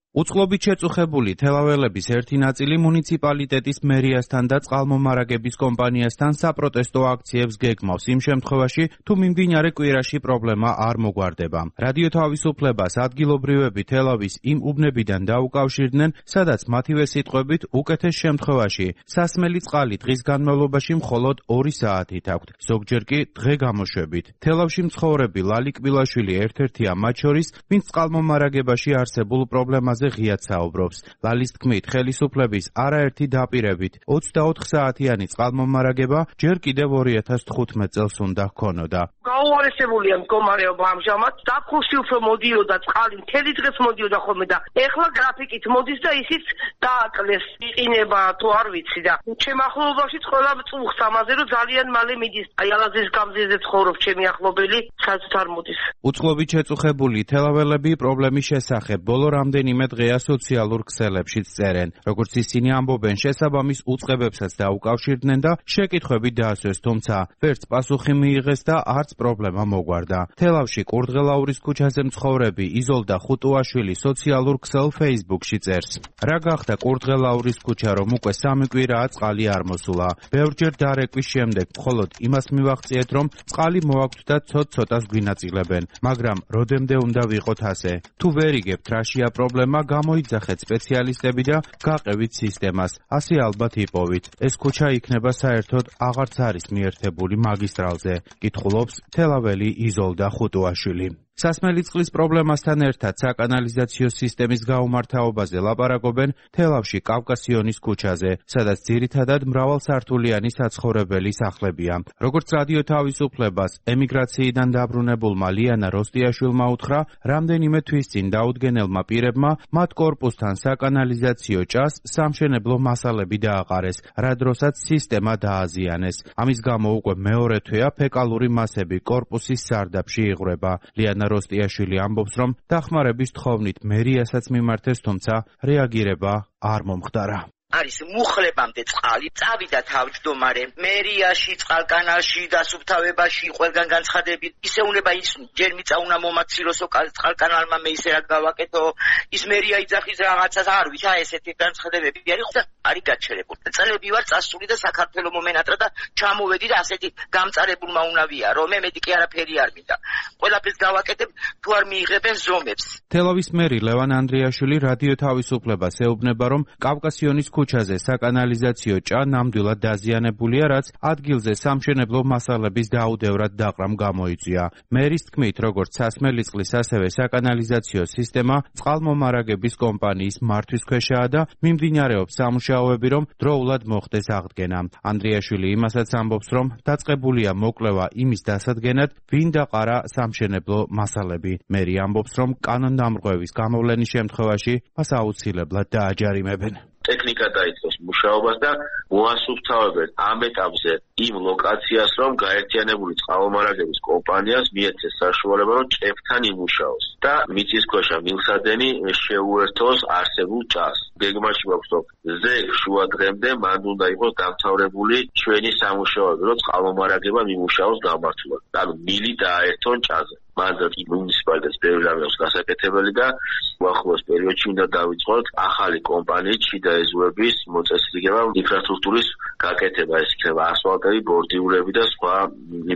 უწყლობით შეწუხებული თელაველების ერთი ნაწილი მუნიციპალიტეტის მერიასთან და წყალმომარაგების კომპანიასთან საპროტესტო აქციებს გეგმავს იმ შემთხვევაში, თუ მიმდინარე კვირაში პრობლემა არ მოგვარდება. რადიო თავისუფლებას ადგილობრივები თელავის იმ უბნებიდან დაუკავშირდნენ, სადაც მათივე სიტყვებით უკეთეს შემთხვევაში სასმელი წყალი დღის განმავლობაში მხოლოდ ორი საათით აქვთ, ზოგჯერ კი დღე გამოშვებით. თელავში მცხოვრები ლალი კბილაშვილი ერთ-ერთია მათ შორის, ვინც წყალმომარაგებაში არსებულ პრობლემას ღიად საუბრობს. ლალის თქმით, ხელისუფლების არაერთი დაპირებით ოცდაოთხ საათიანი წყალმომარაგება ჯერ კიდევ ორი ათას თხუთმეტ წელს უნდა ჰქონოდა. გაუარესებულია მდგომარეობა ამჟამად. დაფხულში უფრო მოდიოდა წყალი, მთელი დღეს მოდიოდა ხოლმე და ეხლა გრაფიკით მოდის და ისიც დააკლეს. იყინება თუ არ ვიცი და ჩემ ახლობლობაში ყველა წუხს ამაზე რომ ძალიან მალე მიდის. აი ალაზის გამზირზე ცხოვრობს ჩემი ახლობელი, სადაც არ მოდის. უწყლობით შეწუხებული თელაველები პრობლემის შესახებ ბოლო რამდენიმე დღეა სოციალურ ქსელებშიც წერენ. როგორც ისინი ამბობენ, შესაბამის უწყებებსაც დაუკავშირდნენ და შეკითხვები დაასვეს, თუმცა ვერც პასუხი მიიღეს და არც პრობლემა მოგვარდა. თელავში კურდღელაურის ქუჩაზე მცხოვრები იზოლდა ხუტუაშვილი სოციალურ ქსელ Facebook-ში წერს. რა გახდა კურდღელაურის ქუჩა, რომ უკვე სამი კვირაა წყალი არ მოსულა. ბევრჯერ დარეკვის შემდეგ მხოლოდ იმას მივაღწიეთ, რომ წყალი მოაქვთ და ცოტ-ცოტას გვინაწილებენ, მაგრამ როდემდე უნდა ვიყოთ ასე? თუ ვერ იგებთ რაშია პრობლემა, გამოიძახეთ სპეციალისტები და გაყევით სისტემას. ასე ალბათ იპოვით. ეს ქუჩა იქნება საერთოდ აღარც არის მიერთებული მაგისტრალზე. კითხულობს თელაველი იზოლდა ხუტუაშვილი. სასმელი წყლის პრობლემასთან ერთად საკანალიზაციო სისტემის გაუმართავობაზე ლაპარაკობენ თელავში კავკასიონის ქუჩაზე, სადაც ძირითადად მრავალსართულიანი საცხოვრებელი სახლებია. როგორც რადიო თავისუფლებას ემიგრაციიდან დაბრუნებულმა ლიანა როსტიაშვილმა უთხრა, რამდენიმე თვის წინ დაუდგენელმა პირებმა მათ კორპუსთან საკანალიზაციო ჭას სამშენებლო მასალები დააყარეს, რა დროსაც სისტემა დააზიანეს. ამის გამო უკვე მეორე თვეა ფეკალური მასები კორპუსის სარდაფში იღვრება. ლიანა როსტიაშვილი ამბობს, რომ დახმარების თხოვნით მერიასაც მიმართეს, თუმცა რეაგირება არ მომხდარა. არის მუხლებამდე წყალი, წავიდა თავმჯდომარე მერიაში, წყალკანალში, დასუფთავებაში, ყველგან განცხადებით, ისე უნდა ის ჯერ მიწა უნდა მომაცილოსო წყალკანალმა მე ისე რა გავაკეთო, ის მერია იძახის რაღაცას არ ვიცი, აი ესეთი განცხადებები არის, ხოდა არის გაჩერებული. წლები ვარ წასული და საქართველოს მომენატრა და ჩამოვედი და ასეთი გამწარებულმა უნდა ვიარო, მე მეტი კი არაფერი არ მინდა. ყველაფერს გავაკეთებ, თუ არ მიიღებენ ზომებს. თელავის მერი ლევან ანდრიაშვილი რადიო თავისუფლებას ეუბნება, რომ კავკასიონის ქუჩაზე საკანალიზაციო ჭა ნამდვილად დაზიანებულია, რაც ადგილზე სამშენებლო მასალების დაუდევრად დაყრამ გამოიწვია. მერის თქმით, როგორც სასმელი წყლის, ასევე საკანალიზაციო სისტემა წყალმომარაგების კომპანიის მართვის ქვეშაა და მიმდინარეობს სამუშაოები, რომ დროულად მოხდეს აღდგენა. ანდრიაშვილი იმასაც ამბობს, რომ დაწყებულია მოკვლევა იმის დასადგენად, ვინ დაყარა სამშენებლო მასალები. მერი ამბობს, რომ კანონდამრღვევის გამოვლენის შემთხვევაში მას აუცილებლად დააჯარიმებენ. ტექნიკა დაიწყოს მუშაობას და მოასუფთავებენ ამ ეტაპზე იმ ლოკაციას, რომ გაერთიანებული წყალმომარაგების კომპანიას მიეცეს საშუალება, რომ ჭებთან იმუშაოს და მიწისქვეშა მილსადენი შეუერთოს არსებულ ჭას. გეგმაში გვაქვს, რომ ზეგ შუა დღემდე მანდ უნდა იყოს დამთავრებული ჩვენი სამუშაოები, რომ წყალმომარაგება მიმუშაოს გამართულად. ანუ მილი დააერთონ ჭაზე. მანდ მუნიციპალიტეტს ბევრი რამე აქვს გასაკეთებელი და უახლოეს პერიოდში უნდა დავიწყოთ ახალი კომპანიით შიდა ეზოების მოწესრიგება, ინფრასტრუქტურის გაკეთება, ეს იქნება ასფალტები, ბორდიურები და სხვა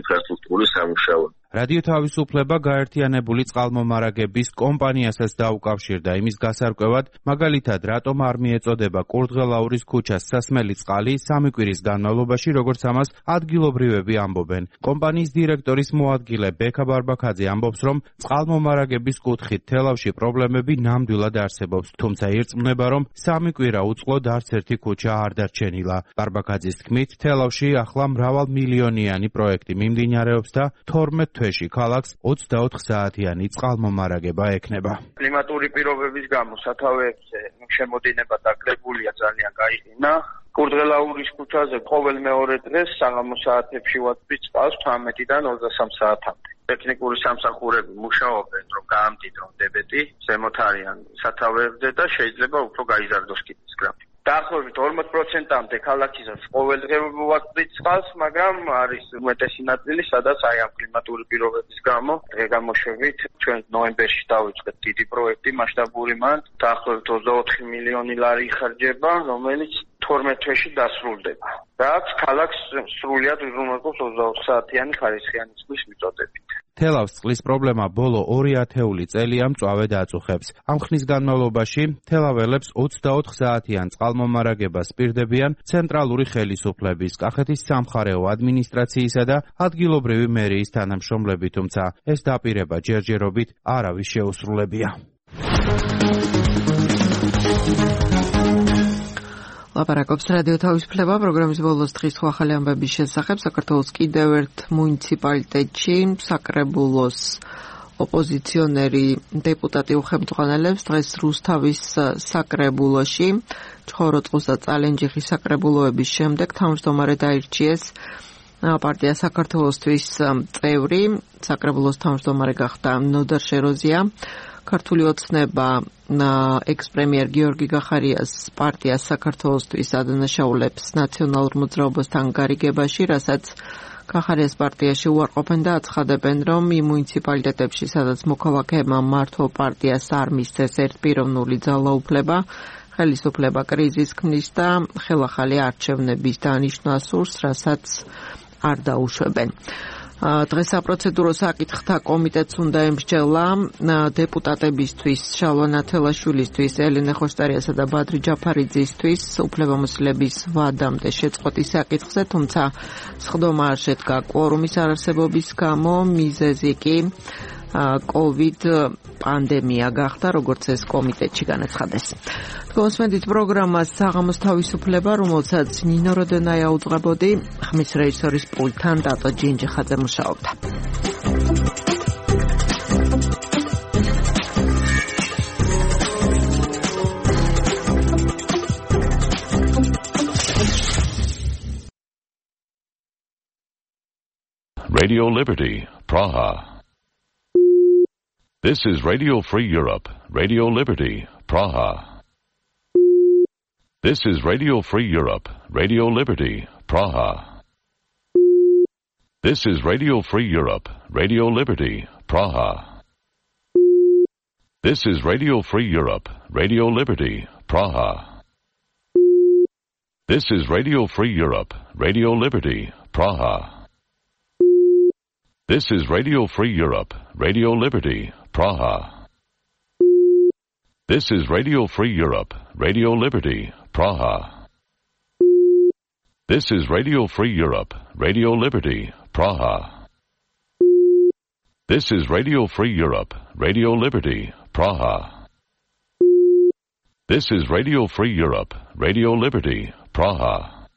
ინფრასტრუქტურის სამუშაოები. რადიო თავისუფლება გაერთიანებული წყალმომარაგების კომპანიასაც დაუკავშირდა იმის გასარკვევად, მაგალითად, რატომ არ მიეწოდება კურდღელაურის ქუჩას სასმელი წყალი სამი კვირის განმავლობაში, როგორც ამას ადგილობრივები ამბობენ. კომპანიის დირექტორის მოადგილე ბექა ბარბაქაძე ამბობს, რომ წყალმომარაგების კუთხით თელავში პრობლემები ნამდვილად არსებობს, თუმცა ირწმუნება, რომ სამი კვირა უწყლოდ არც ერთი ქუჩა არ დარჩენილა. ბარბაქაძის თქმით, თელავში ახლა მრავალმილიონიანი პროექტი მიმდინარეობს და თორმეტ თვეში ქალაქს ოცდაოთხ საათიანი წყალმომარაგება ექნება. კლიმატური პირობების გამო სათავეებზე შემოდინება დაკლებულია ძალიან გაიყინა. კურდღელაურის ქუჩაზე ყოველ მეორე დღეს საღამო საათებში ვაწვით წყალს თვრამეტიდან ოცდასამ საათამდე. ტექნიკური სამსახურები მუშაობენ, რომ გაამდიდრონ დებეტი, ზემოთ არიან სათავეებზე და შეიძლება უფრო გაიზარდოს კიდეც გრაფიკი. დაახლოებით ორმოც პროცენტამდე ქალაქისას ყოველდღე ვაწვით წყალს, მაგრამ არის უმეტესი ნაწილი, სადაც აი ამ კლიმატური პირობების გამო დღე გამოშვებით ჩვენ ნოემბერში დავიწყეთ დიდი პროექტი მასშტაბური მანდ, დაახლოებით ოცდაოთხი მილიონი ლარი იხარჯება, რომელიც თორმეტ თვეში დასრულდება. რაც ქალაქს სრულიად უზრუნველყოფს ოცდაოთხ საათიანი ხარისხიანი წყლის მიწოდებით. თელავს წყლის პრობლემა ბოლო ორი ათეული წელია მწვავედ აწუხებს. ამ ხნის განმავლობაში თელაველებს ოცდაოთხ საათიან წყალმომარაგებას პირდებიან ცენტრალური ხელისუფლების, კახეთის სამხარეო ადმინისტრაციისა და ადგილობრივი მერიის თანამშრომლები, თუმცა ეს დაპირება ჯერჯერობით არავის შეუსრულებია. ლაპარაკობს რადიო თავისუფლება პროგრამის ბოლოს დღის ახალი ამბების შესახებ. საქართველოს კიდევ ერთ მუნიციპალიტეტში საკრებულოს ოპოზიციონერი დეპუტატი უხელმძღვანელებს დღეს რუსთავის საკრებულოში ჩხოროწყუს და წალენჯიხის საკრებულოების შემდეგ თავმჯდომარედ აირჩიეს პარტია საქართველოსთვის წევრი. საკრებულოს თავმჯდომარე გახდა ნოდარ შეროზია. ქართული ოცნება ექს-პრემიერ გიორგი გახარიას პარტიას საქართველოსთვის ადანაშაულებს ნაციონალურ მოძრაობასთან გარიგებაში, რასაც გახარიას პარტიაში უარყოფენ და აცხადებენ, რომ იმ მუნიციპალიტეტებში, სადაც მოქალაქეებმა მართო პარტიას არ მისცეს ერთპიროვნული ძალაუფლება, ხელისუფლება კრიზისს ქმნის და ხელახალი არჩევნების დანიშვნას სურს, რასაც არ დაუშვებენ. დღეს საპროცედურო საკითხთა კომიტეტს უნდა ემსჯელა დეპუტატებისთვის, შალვა ნათელაშვილისთვის, ელენე ხოშტარიასა და ბადრი ჯაფარიძისთვის უფლებამოსილების ვადამდე შეწყვეტის საკითხზე, თუმცა სხდომა არ შედგა კვორუმის არარსებობის გამო, მიზეზი კი კოვიდ პანდემია გახდა, როგორც ეს კომიტეტში განაცხადეს. გონსმენდით პროგრამას საღამოს თავისუფლება, რომელსაც ნინო როდენაია უძღვებოდი, ხმის რეჟისორის პულტთან დატო ჯინჯიხაძე მუშაობდა. Radio Liberty, Praha. This is Radio Free Europe, Radio Liberty, Praha. This is Radio Free Europe, Radio Liberty, Praha. This is Radio Free Europe, Radio Liberty, Praha. This is Radio Free Europe, Radio Liberty, Praha. This is Radio Free Europe, Radio Liberty, Praha. This is Radio Free Europe, Radio Liberty, Praha. This is Radio Free Europe, Radio Liberty, Praha. This is Radio Free Europe, Radio Liberty, Praha. This is Radio Free Europe, Radio Liberty, Praha. This is Radio Free Europe, Radio Liberty, Praha.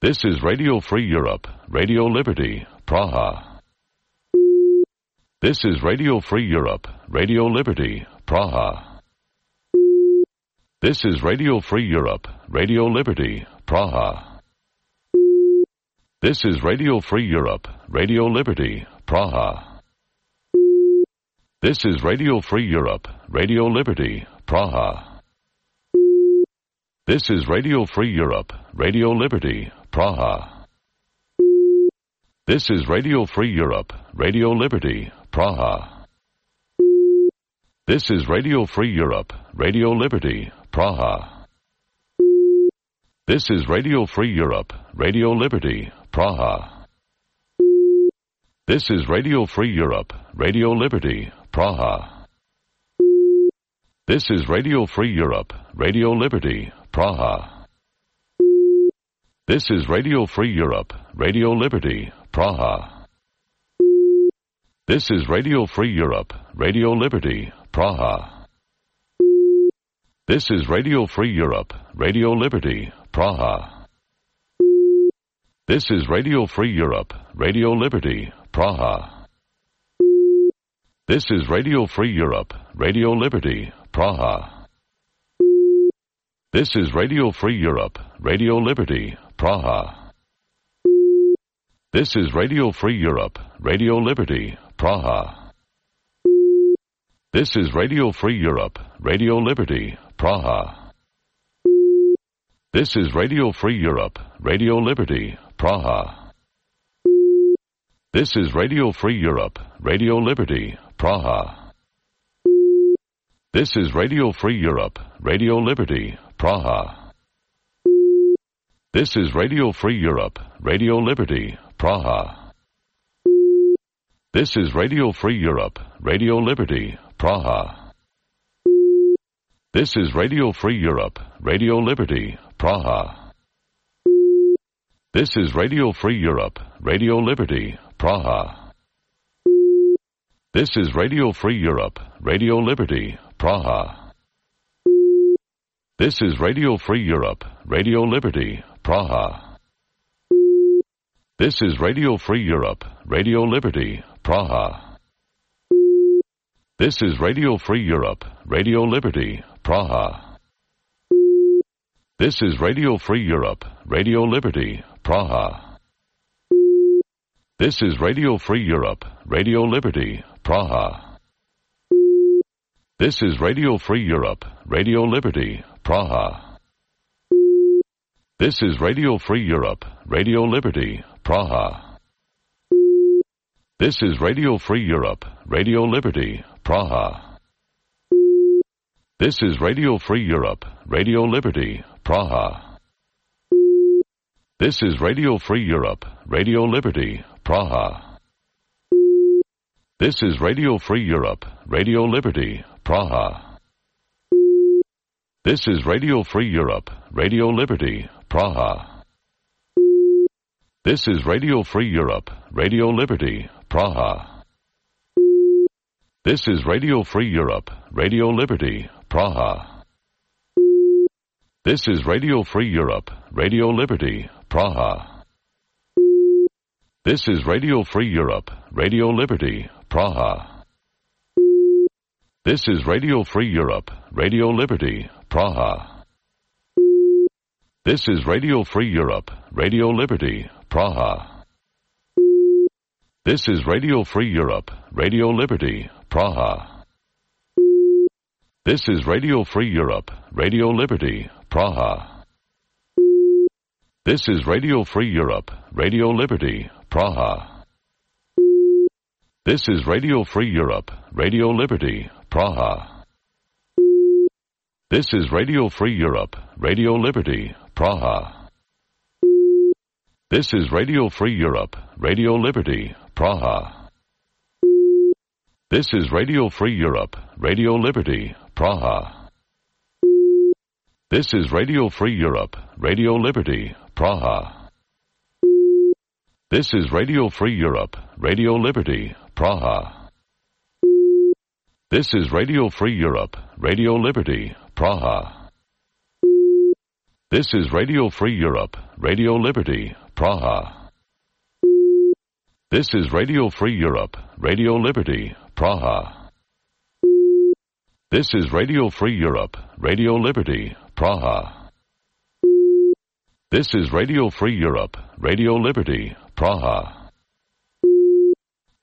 This is Radio Free Europe, Radio Liberty, Praha. This is Radio Free Europe, Radio Liberty, Praha. This is Radio Free Europe, Radio Liberty, Praha. This is Radio Free Europe, Radio Liberty, Praha. This is Radio Free Europe, Radio Liberty, Praha. This is Radio Free Europe, Radio Liberty, Praha. This is Radio Free Europe, Radio Liberty, Praha. This is Radio Free Europe, Radio Liberty, Praha. This is Radio Free Europe, Radio Liberty, Praha. This is Radio Free Europe, Radio Liberty, Praha. This is Radio Free Europe, Radio Liberty, Praha. This is Radio Free Europe, Radio Liberty, Praha. This is Radio Free Europe, Radio Liberty, Praha. This is Radio Free Europe, Radio Liberty, Praha. This is Radio Free Europe, Radio Liberty, Praha. This is Radio Free Europe, Radio Liberty, Praha. This is Radio Free Europe, Radio Liberty, Praha. This is Radio Free Europe, Radio Liberty, Praha. This is Radio Free Europe, Radio Liberty, Praha. This is Radio Free Europe, Radio Liberty, Praha. This is Radio Free Europe, Radio Liberty, Praha. This is Radio Free Europe, Radio Liberty, Praha. This is Radio Free Europe, Radio Liberty, Praha. This is Radio Free Europe, Radio Liberty, Praha. This is Radio Free Europe, Radio Liberty, Praha. This is Radio Free Europe, Radio Liberty, Praha. This is Radio Free Europe, Radio Liberty, Praha. This is Radio Free Europe, Radio Liberty, Praha. This is Radio Free Europe, Radio Liberty, Praha. This is Radio Free Europe, Radio Liberty, Praha. This is Radio Free Europe, Radio Liberty, Praha. This is Radio Free Europe, Radio Liberty, Praha. This is Radio Free Europe, Radio Liberty, Praha. This is Radio Free Europe, Radio Liberty, Praha. This is Radio Free Europe, Radio Liberty, Praha. This is Radio Free Europe, Radio Liberty, Praha. This is Radio Free Europe, Radio Liberty, Praha. This is Radio Free Europe, Radio Liberty, Praha. This is Radio Free Europe, Radio Liberty, Praha. This is Radio Free Europe, Radio Liberty, Praha. This is Radio Free Europe, Radio Liberty, Praha. This is Radio Free Europe, Radio Liberty, Praha. This is Radio Free Europe, Radio Liberty, Praha. This is Radio Free Europe, Radio Liberty, Praha. This is Radio Free Europe, Radio Liberty, Praha. This is Radio Free Europe, Radio Liberty, Praha. This is Radio Free Europe, Radio Liberty, Praha. This is Radio Free Europe, Radio Liberty, Praha. This is Radio Free Europe, Radio Liberty, Praha. This is Radio Free Europe, Radio Liberty, Praha. This is Radio Free Europe, Radio Liberty, Praha. This is Radio Free Europe, Radio Liberty, Praha. This is Radio Free Europe, Radio Liberty, Praha. This is Radio Free Europe, Radio Liberty, Praha. This is Radio Free Europe, Radio Liberty, Praha. This is Radio Free Europe, Radio Liberty, Praha. This is Radio Free Europe, Radio Liberty, Praha. This is Radio Free Europe, Radio Liberty, Praha. This is Radio Free Europe, Radio Liberty, Praha.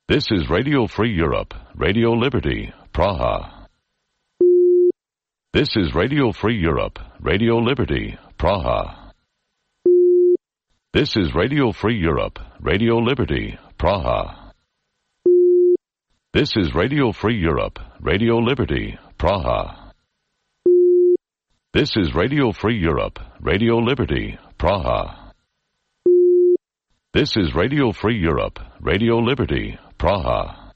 This is Radio Free Europe, Radio Liberty, Praha. This is Radio Free Europe, Radio Liberty, Praha. This is Radio Free Europe, Radio Liberty, Praha. This is Radio Free Europe, Radio Liberty, Praha. This is Radio Free Europe, Radio Liberty, Praha. This is Radio Free Europe, Radio Liberty, Praha.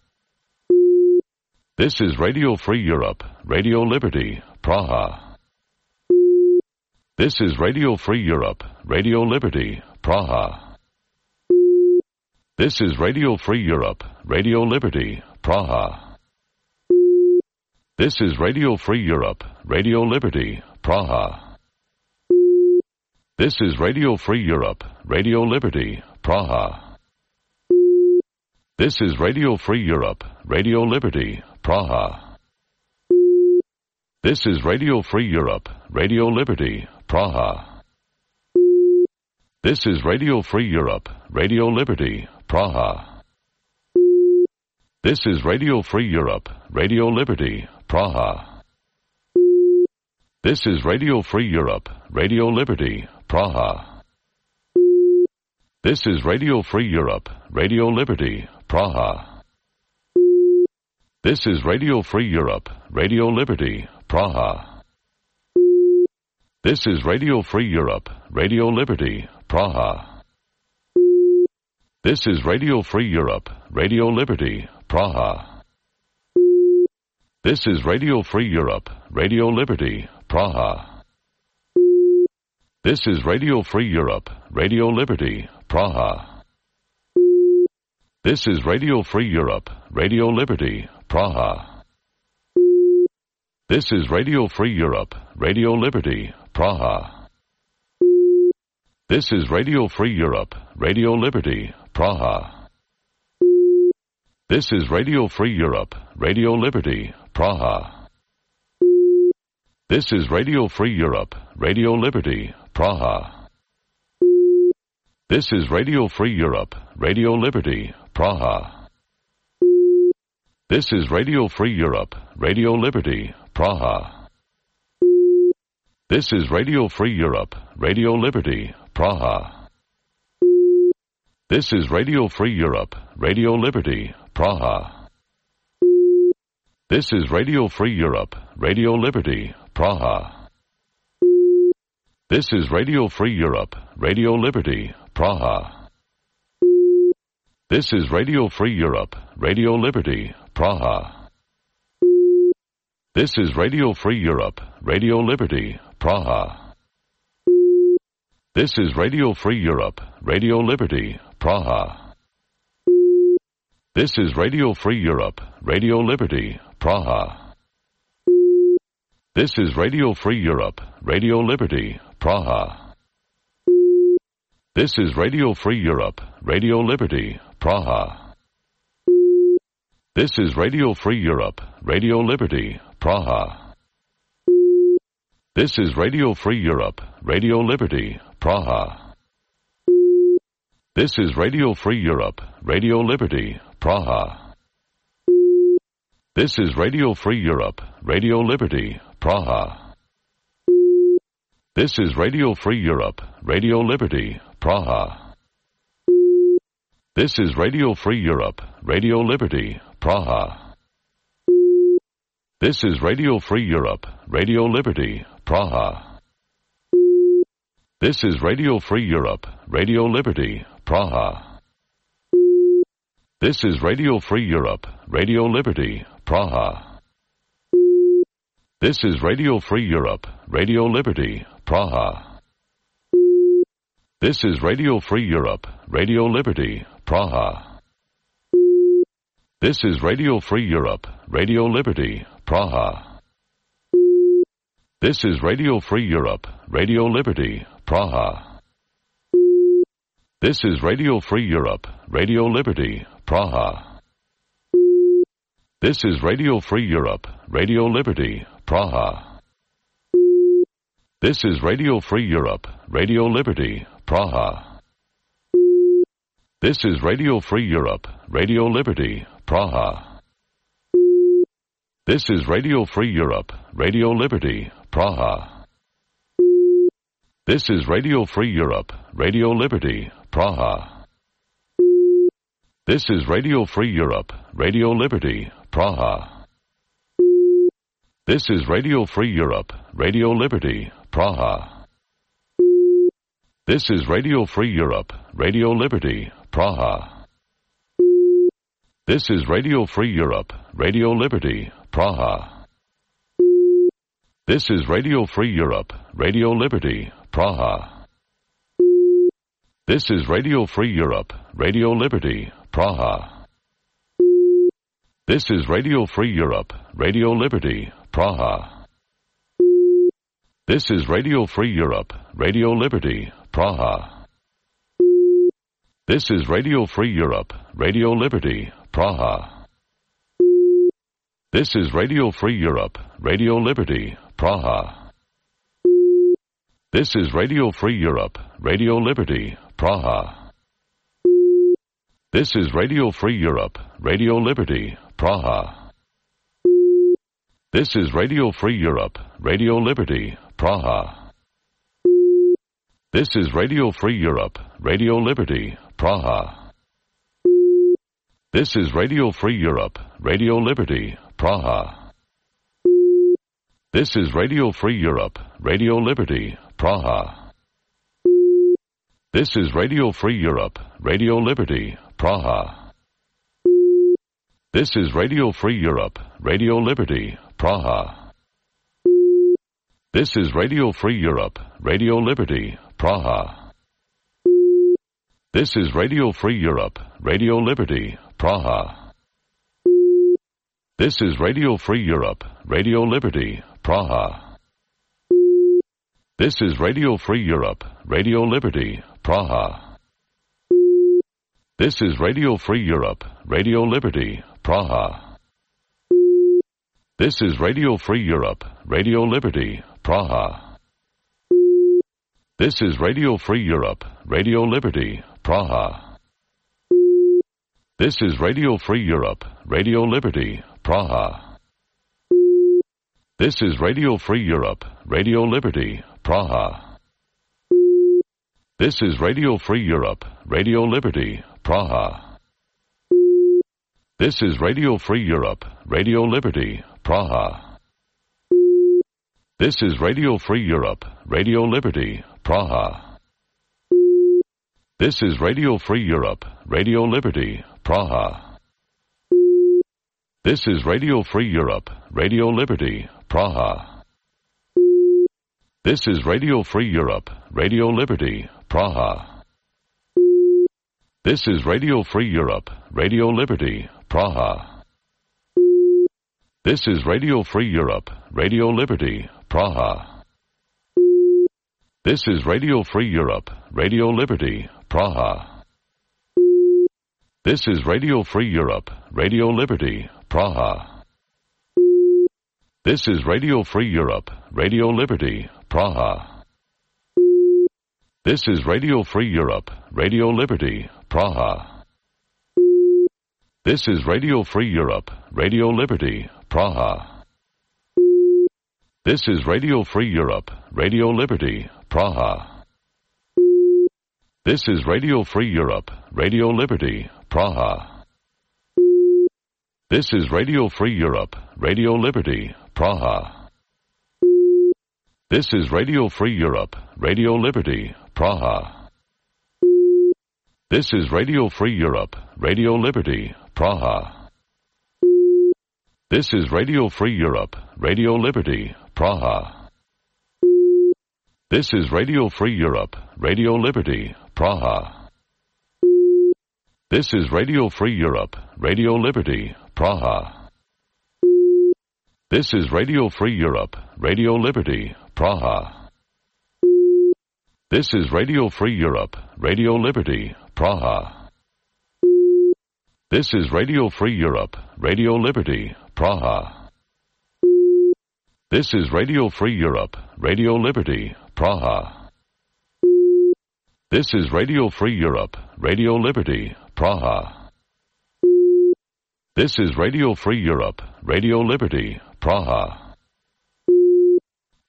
This is Radio Free Europe, Radio Liberty, Praha. This is Radio Free Europe, Radio Liberty, Praha. This is Radio Free Europe, Radio Liberty, Praha. This is Radio Free Europe, Radio Liberty, Praha. This is Radio Free Europe, Radio Liberty, Praha. This is Radio Free Europe, Radio Liberty, Praha. This is Radio Free Europe, Radio Liberty, Praha. This is Radio Free Europe, Radio Liberty, Praha. This is Radio Free Europe, Radio Liberty, Praha. This is Radio Free Europe, Radio Liberty, Praha. This is Radio Free Europe, Radio Liberty, Praha. This is Radio Free Europe, Radio Liberty, Praha. This is Radio Free Europe, Radio Liberty, Praha. This is Radio Free Europe, Radio Liberty, Praha. This is Radio Free Europe, Radio Liberty, Praha. This is Radio Free Europe, Radio Liberty, Praha. This is Radio Free Europe, Radio Liberty, Praha. This is Radio Free Europe, Radio Liberty, Praha. This is Radio Free Europe, Radio Liberty, Praha. This is Radio Free Europe, Radio Liberty, Praha. This is Radio Free Europe, Radio Liberty, Praha. This is Radio Free Europe, Radio Liberty, Praha. This is Radio Free Europe, Radio Liberty, Praha. This is Radio Free Europe, Radio Liberty, Praha. This is Radio Free Europe, Radio Liberty, Praha. This is Radio Free Europe, Radio Liberty, Praha. This is Radio Free Europe, Radio Liberty, Praha. This is Radio Free Europe, Radio Liberty, Praha. This is Radio Free Europe, Radio Liberty, Praha. This is Radio Free Europe, Radio Liberty, Praha. This is Radio Free Europe, Radio Liberty, Praha. This is Radio Free Europe, Radio Liberty, Praha. This is Radio Free Europe, Radio Liberty, Praha. This is Radio Free Europe, Radio Liberty, Praha. This is Radio Free Europe, Radio Liberty, Praha. This is Radio Free Europe, Radio Liberty, Praha. This is Radio Free Europe, Radio Liberty, Praha. This is Radio Free Europe, Radio Liberty, Praha. This is Radio Free Europe, Radio Liberty, Praha. This is Radio Free Europe, Radio Liberty, Praha. This is Radio Free Europe, Radio Liberty, Praha. This is Radio Free Europe, Radio Liberty, Praha. This is Radio Free Europe, Radio Liberty, Praha. This is Radio Free Europe, Radio Liberty, Praha. This is Radio Free Europe, Radio Liberty, Praha. This is Radio Free Europe, Radio Liberty, Praha. This is Radio Free Europe, Radio Liberty, Praha. This is Radio Free Europe, Radio Liberty, Praha. This is Radio Free Europe, Radio Liberty, Praha. This is Radio Free Europe, Radio Liberty, Praha. This is Radio Free Europe, Radio Liberty, Praha. This is Radio Free Europe, Radio Liberty, Praha. This is Radio Free Europe, Radio Liberty, Praha. This is Radio Free Europe, Radio Liberty, Praha. This is Radio Free Europe, Radio Liberty, Praha. This is Radio Free Europe, Radio Liberty, Praha. This is Radio Free Europe, Radio Liberty, Praha. This is Radio Free Europe, Radio Liberty, Praha. This is Radio Free Europe, Radio Liberty, Praha. This is Radio Free Europe, Radio Liberty, Praha. This is Radio Free Europe, Radio Liberty, Praha. This is Radio Free Europe, Radio Liberty, Praha. This is Radio Free Europe, Radio Liberty, Praha. This is Radio Free Europe, Radio Liberty, Praha. This is Radio Free Europe, Radio Liberty, Praha. This is Radio Free Europe, Radio Liberty, Praha. This is Radio Free Europe, Radio Liberty, Praha. This is Radio Free Europe, Radio Liberty, Praha. This is Radio Free Europe, Radio Liberty, Praha. This is Radio Free Europe, Radio Liberty, Praha. This is Radio Free Europe, Radio Liberty, Praha. This is Radio Free Europe, Radio Liberty, Praha. This is Radio Free Europe, Radio Liberty, Praha. This is Radio Free Europe, Radio Liberty, Praha. This is Radio Free Europe, Radio Liberty, Praha. This is Radio Free Europe, Radio Liberty, Praha. This is Radio Free Europe, Radio Liberty, Praha. This is Radio Free Europe, Radio Liberty, Praha. This is Radio Free Europe, Radio Liberty, Praha. This is Radio Free Europe, Radio Liberty, Praha. This is Radio Free Europe, Radio Liberty, Praha. This is Radio Free Europe, Radio Liberty, Praha. This is Radio Free Europe, Radio Liberty, Praha. This is Radio Free Europe, Radio Liberty, Praha. This is Radio Free Europe, Radio Liberty, Praha. This is Radio Free Europe, Radio Liberty, Praha. This is Radio Free Europe, Radio Liberty, Praha. This is Radio Free Europe, Radio Liberty, Praha. This is Radio Free Europe, Radio Liberty, Praha. This is Radio Free Europe, Radio Liberty, Praha. This is Radio Free Europe, Radio Liberty, Praha. This is Radio Free Europe, Radio Liberty, Praha. This is Radio Free Europe, Radio Liberty, Praha. This is Radio Free Europe, Radio Liberty, Praha. This is Radio Free Europe, Radio Liberty, Praha. This is Radio Free Europe, Radio Liberty, Praha. This is Radio Free Europe, Radio Liberty, Praha. This is Radio Free Europe, Radio Liberty, Praha. This is Radio Free Europe, Radio Liberty, Praha. This is Radio Free Europe, Radio Liberty, Praha. This is Radio Free Europe, Radio Liberty, Praha. This is Radio Free Europe, Radio Liberty, Praha. This is Radio Free Europe, Radio Liberty, Praha. This is Radio Free Europe, Radio Liberty, Praha. This is Radio Free Europe, Radio Liberty, Praha. This is Radio Free Europe, Radio Liberty, Praha.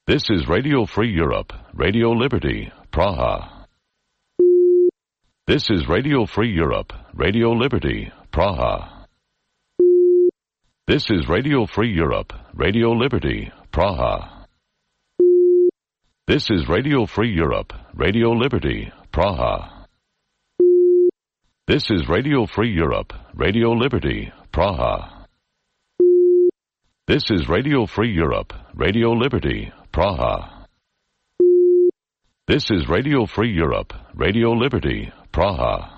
This is Radio Free Europe, Radio Liberty, Praha. This is Radio Free Europe, Radio Liberty, Praha. This is Radio Free Europe, Radio Liberty, Praha. This is Radio Free Europe, Radio Liberty, Praha. This is Radio Free Europe, Radio Liberty, Praha. This is Radio Free Europe, Radio Liberty, Praha. This is Radio Free Europe, Radio Liberty, Praha.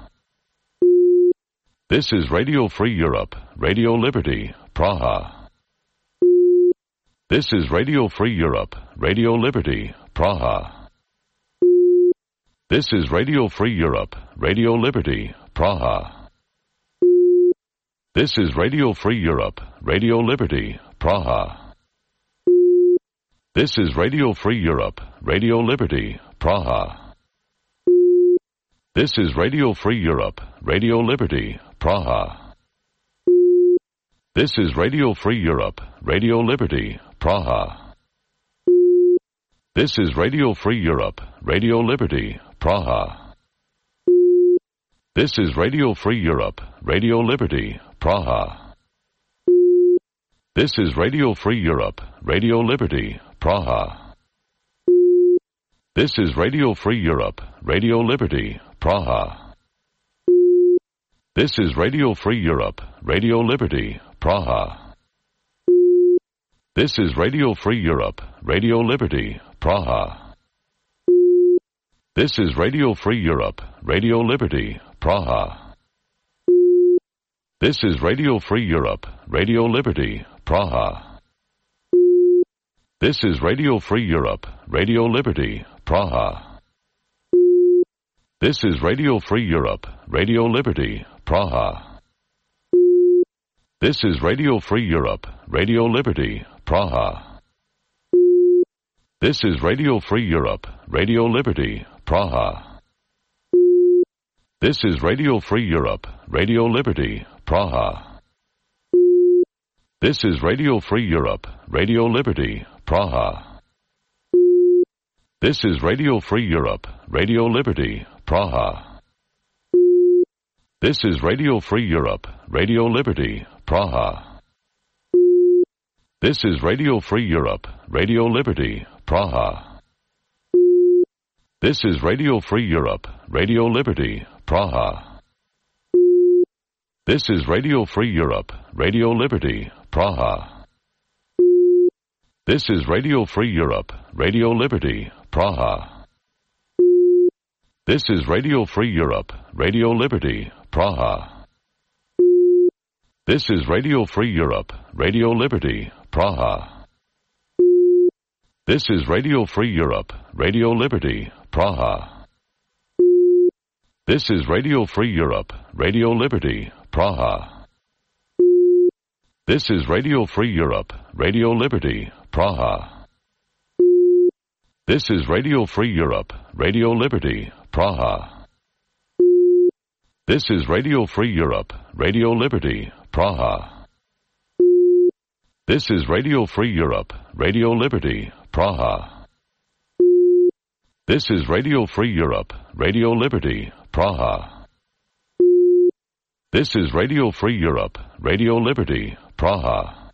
This is Radio Free Europe, Radio Liberty, Praha. This is Radio Free Europe, Radio Liberty, Praha. This is Radio Free Europe, Radio Liberty, Praha. This is Radio Free Europe, Radio Liberty, Praha. This is Radio Free Europe, Radio Liberty, Praha. This is Radio Free Europe, Radio Liberty, Praha. This is Radio Free Europe, Radio Liberty, Praha. This is Radio Free Europe, Radio Liberty, Praha. This is Radio Free Europe, Radio Liberty, Praha. This is Radio Free Europe, Radio Liberty, Praha. This is Radio Free Europe, Radio Liberty, Praha. This is Radio Free Europe, Radio Liberty, Praha. This is Radio Free Europe, Radio Liberty, Praha. This is Radio Free Europe, Radio Liberty, Praha. This is Radio Free Europe, Radio Liberty, Praha. This is Radio Free Europe, Radio Liberty, Praha. This is Radio Free Europe, Radio Liberty, Praha. This is Radio Free Europe, Radio Liberty, Praha. This is Radio Free Europe, Radio Liberty, Praha. This is Radio Free Europe, Radio Liberty, Praha. This is Radio Free Europe, Radio Liberty, Praha. This is Radio Free Europe, Radio Liberty, Praha. This is Radio Free Europe, Radio Liberty, Praha. This is Radio Free Europe, Radio Liberty, Praha. This is Radio Free Europe, Radio Liberty, Praha. This is Radio Free Europe, Radio Liberty, Praha. This is Radio Free Europe, Radio Liberty, Praha. This is Radio Free Europe, Radio Liberty, Praha. This is Radio Free Europe, Radio Liberty, Praha. This is Radio Free Europe, Radio Liberty, Praha. This is Radio Free Europe, Radio Liberty, Praha. This is Radio Free Europe, Radio Liberty, Praha. This is Radio Free Europe, Radio Liberty, Praha. This is Radio Free Europe, Radio Liberty, Praha. This is Radio Free Europe, Radio Liberty, Praha. This is Radio Free Europe, Radio Liberty, Praha. This is Radio Free Europe, Radio Liberty, Praha.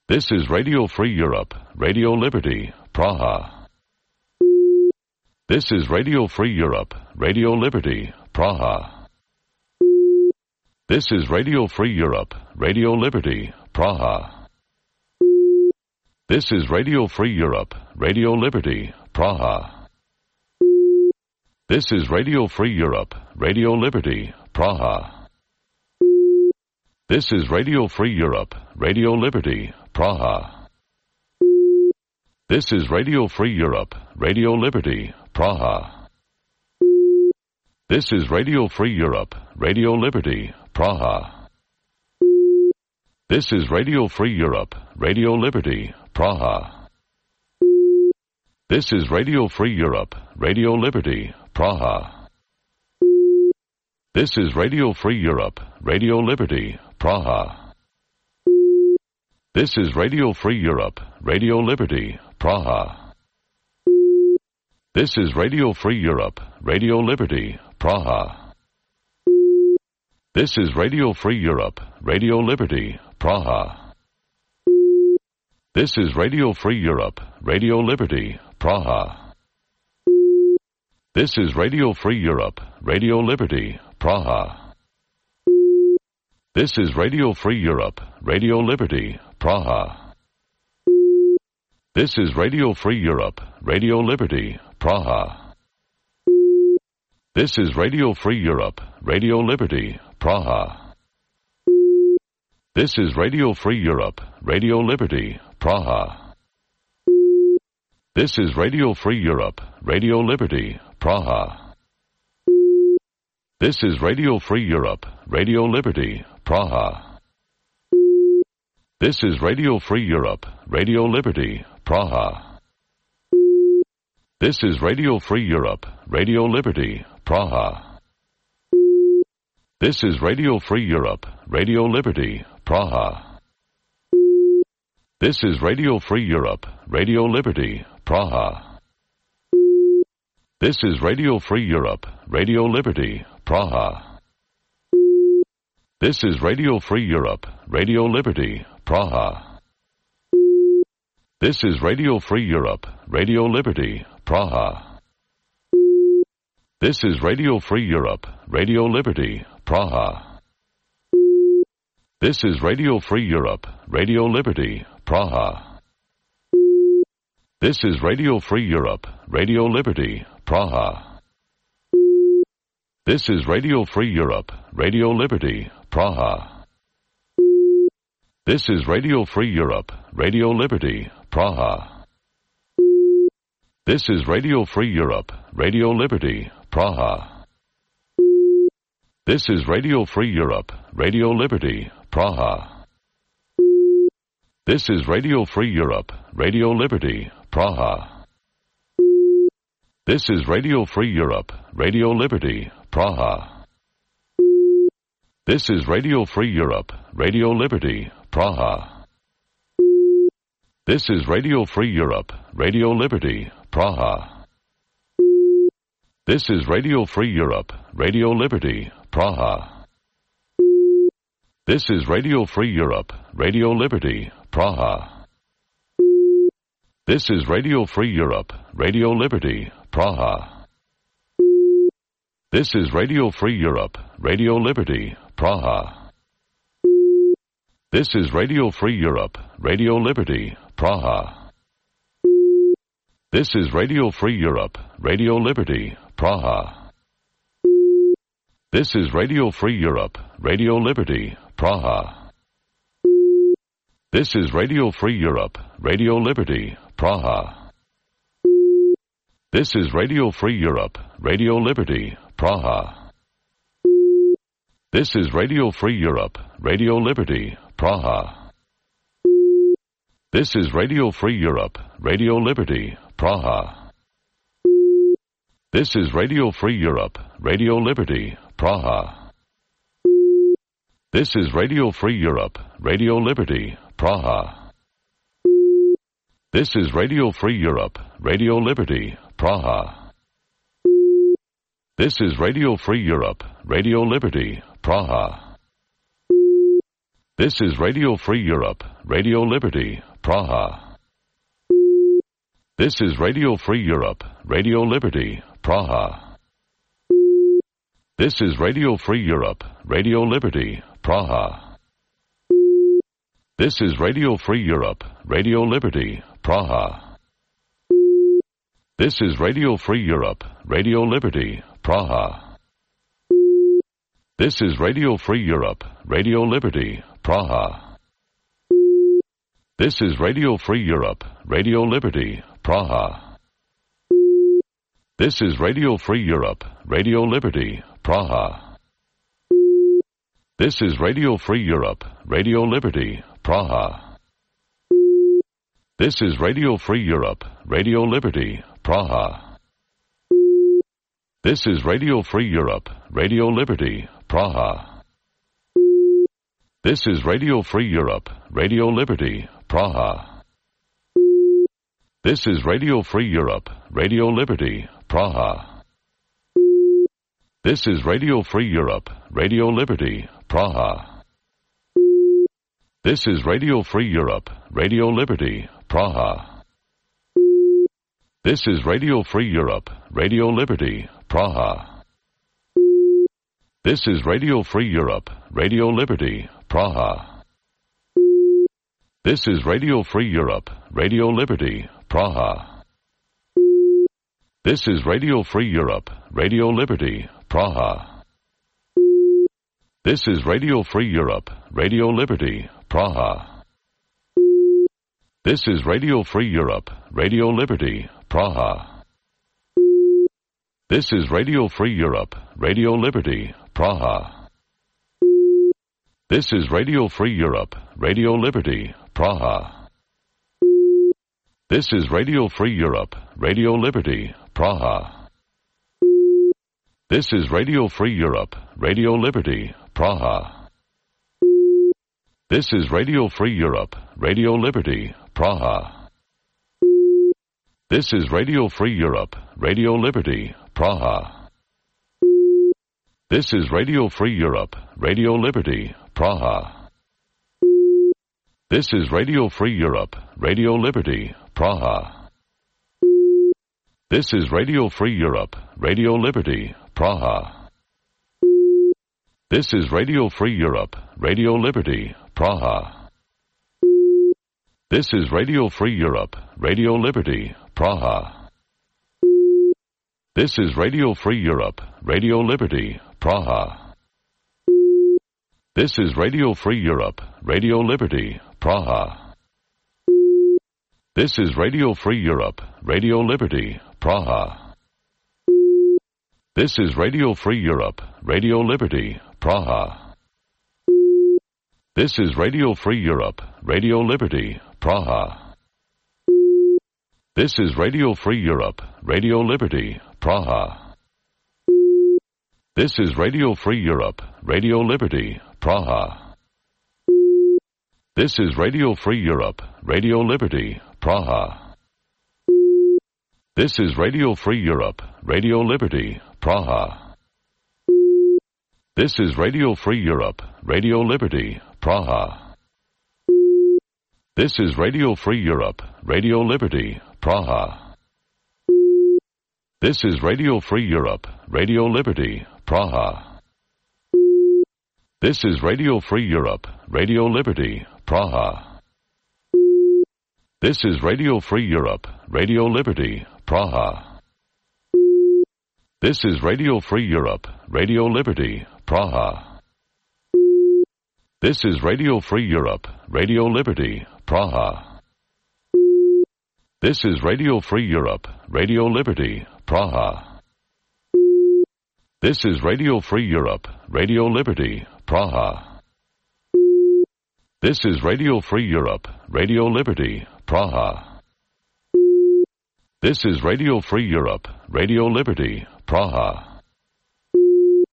This is Radio Free Europe, Radio Liberty, Praha. This is Radio Free Europe, Radio Liberty, Praha. This is Radio Free Europe, Radio Liberty, Praha. This is Radio Free Europe, Radio Liberty, Praha. This is Radio Free Europe, Radio Liberty, Praha. This is Radio Free Europe, Radio Liberty, Praha. This is Radio Free Europe, Radio Liberty, Praha. This is Radio Free Europe, Radio Liberty, Praha. This is Radio Free Europe, Radio Liberty, Praha. This is Radio Free Europe, Radio Liberty, Praha. This is Radio Free Europe, Radio Liberty, Praha. This is Radio Free Europe, Radio Liberty, Praha. This is Radio Free Europe, Radio Liberty, Praha. This is Radio Free Europe, Radio Liberty, Praha. This is Radio Free Europe, Radio Liberty, Praha. This is Radio Free Europe, Radio Liberty, Praha. This is Radio Free Europe, Radio Liberty, Praha. This is Radio Free Europe, Radio Liberty, Praha. This is Radio Free Europe, Radio Liberty, Praha. This is Radio Free Europe, Radio Liberty, Praha. This is Radio Free Europe, Radio Liberty, Praha. This is Radio Free Europe, Radio Liberty, Praha. This is Radio Free Europe, Radio Liberty, Praha. This is Radio Free Europe, Radio Liberty, Praha. This is Radio Free Europe, Radio Liberty, Praha. This is Radio Free Europe, Radio Liberty, Praha. This is Radio Free Europe, Radio Liberty, Praha. This is Radio Free Europe, Radio Liberty, Praha. This is Radio Free Europe, Radio Liberty, Praha. This is Radio Free Europe, Radio Liberty, Praha. This is Radio Free Europe, Radio Liberty, Praha. This is Radio Free Europe, Radio Liberty, Praha. This is Radio Free Europe, Radio Liberty, Praha. This is Radio Free Europe, Radio Liberty, Praha. This is Radio Free Europe, Radio Liberty, Praha. This is Radio Free Europe, Radio Liberty, Praha. This is Radio Free Europe, Radio Liberty, Praha. This is Radio Free Europe, Radio Liberty, Praha. This is Radio Free Europe, Radio Liberty, Praha. This is Radio Free Europe, Radio Liberty, Praha. This is Radio Free Europe, Radio Liberty, Praha. This is Radio Free Europe, Radio Liberty, Praha. This is Radio Free Europe, Radio Liberty, Praha. This is Radio Free Europe, Radio Liberty, Praha. This is Radio Free Europe, Radio Liberty, Praha. This is Radio Free Europe, Radio Liberty, Praha. This is Radio Free Europe, Radio Liberty, Praha. This is Radio Free Europe, Radio Liberty, Praha. This is Radio Free Europe, Radio Liberty, Praha. This is Radio Free Europe, Radio Liberty, Praha. This is Radio Free Europe, Radio Liberty, Praha. This is Radio Free Europe, Radio Liberty, Praha. This is Radio Free Europe, Radio Liberty, Praha. This is Radio Free Europe, Radio Liberty, Praha. This is Radio Free Europe, Radio Liberty, Praha. This is Radio Free Europe, Radio Liberty, Praha. This is Radio Free Europe, Radio Liberty, Praha. This is Radio Free Europe, Radio Liberty, Praha. This is Radio Free Europe, Radio Liberty, Praha. This is Radio Free Europe, Radio Liberty, Praha. This is Radio Free Europe, Radio Liberty, Praha. This is Radio Free Europe, Radio Liberty, Praha. This is Radio Free Europe, Radio Liberty, Praha. This is Radio Free Europe, Radio Liberty, Praha. This is Radio Free Europe, Radio Liberty, Praha. This is Radio Free Europe, Radio Liberty, Praha. This is Radio Free Europe, Radio Liberty, Praha. This is Radio Free Europe, Radio Liberty, Praha. This is Radio Free Europe, Radio Liberty, Praha. This is Radio Free Europe, Radio Liberty, Praha. This is Radio Free Europe, Radio Liberty, Praha. This is Radio Free Europe, Radio Liberty, Praha. This is Radio Free Europe, Radio Liberty, Praha. This is Radio Free Europe, Radio Liberty, Praha. This is Radio Free Europe, Radio Liberty, Praha. This is Radio Free Europe, Radio Liberty, Praha. This is Radio Free Europe, Radio Liberty, Praha. This is Radio Free Europe, Radio Liberty, Praha. This is Radio Free Europe, Radio Liberty, Praha. This is Radio Free Europe, Radio Liberty, Praha. This is Radio Free Europe, Radio Liberty, Praha. This is Radio Free Europe, Radio Liberty, Praha. This is Radio Free Europe, Radio Liberty, Praha. This is Radio Free Europe, Radio Liberty, Praha. This is Radio Free Europe, Radio Liberty, Praha. This is Radio Free Europe, Radio Liberty, Praha. This is Radio Free Europe, Radio Liberty, Praha. This is Radio Free Europe, Radio Liberty, Praha. This is Radio Free Europe, Radio Liberty, Praha. This is Radio Free Europe, Radio Liberty, Praha. This is Radio Free Europe, Radio Liberty, Praha. This is Radio Free Europe, Radio Liberty, Praha. This is Radio Free Europe, Radio Liberty, Praha. This is Radio Free Europe, Radio Liberty, Praha. This is Radio Free Europe, Radio Liberty, Praha. This is Radio Free Europe, Radio Liberty, Praha. This is Radio Free Europe, Radio Liberty, Praha. This is Radio Free Europe, Radio Liberty, Praha. This is Radio Free Europe, Radio Liberty, Praha. This is Radio Free Europe, Radio Liberty, Praha. This is Radio Free Europe, Radio Liberty, Praha. This is Radio Free Europe, Radio Liberty, Praha. This is Radio Free Europe, Radio Liberty, Praha. This is Radio Free Europe, Radio Liberty, Praha. This is Radio Free Europe, Radio Liberty, Praha. This is Radio Free Europe, Radio Liberty, Praha. This is Radio Free Europe, Radio Liberty, Praha.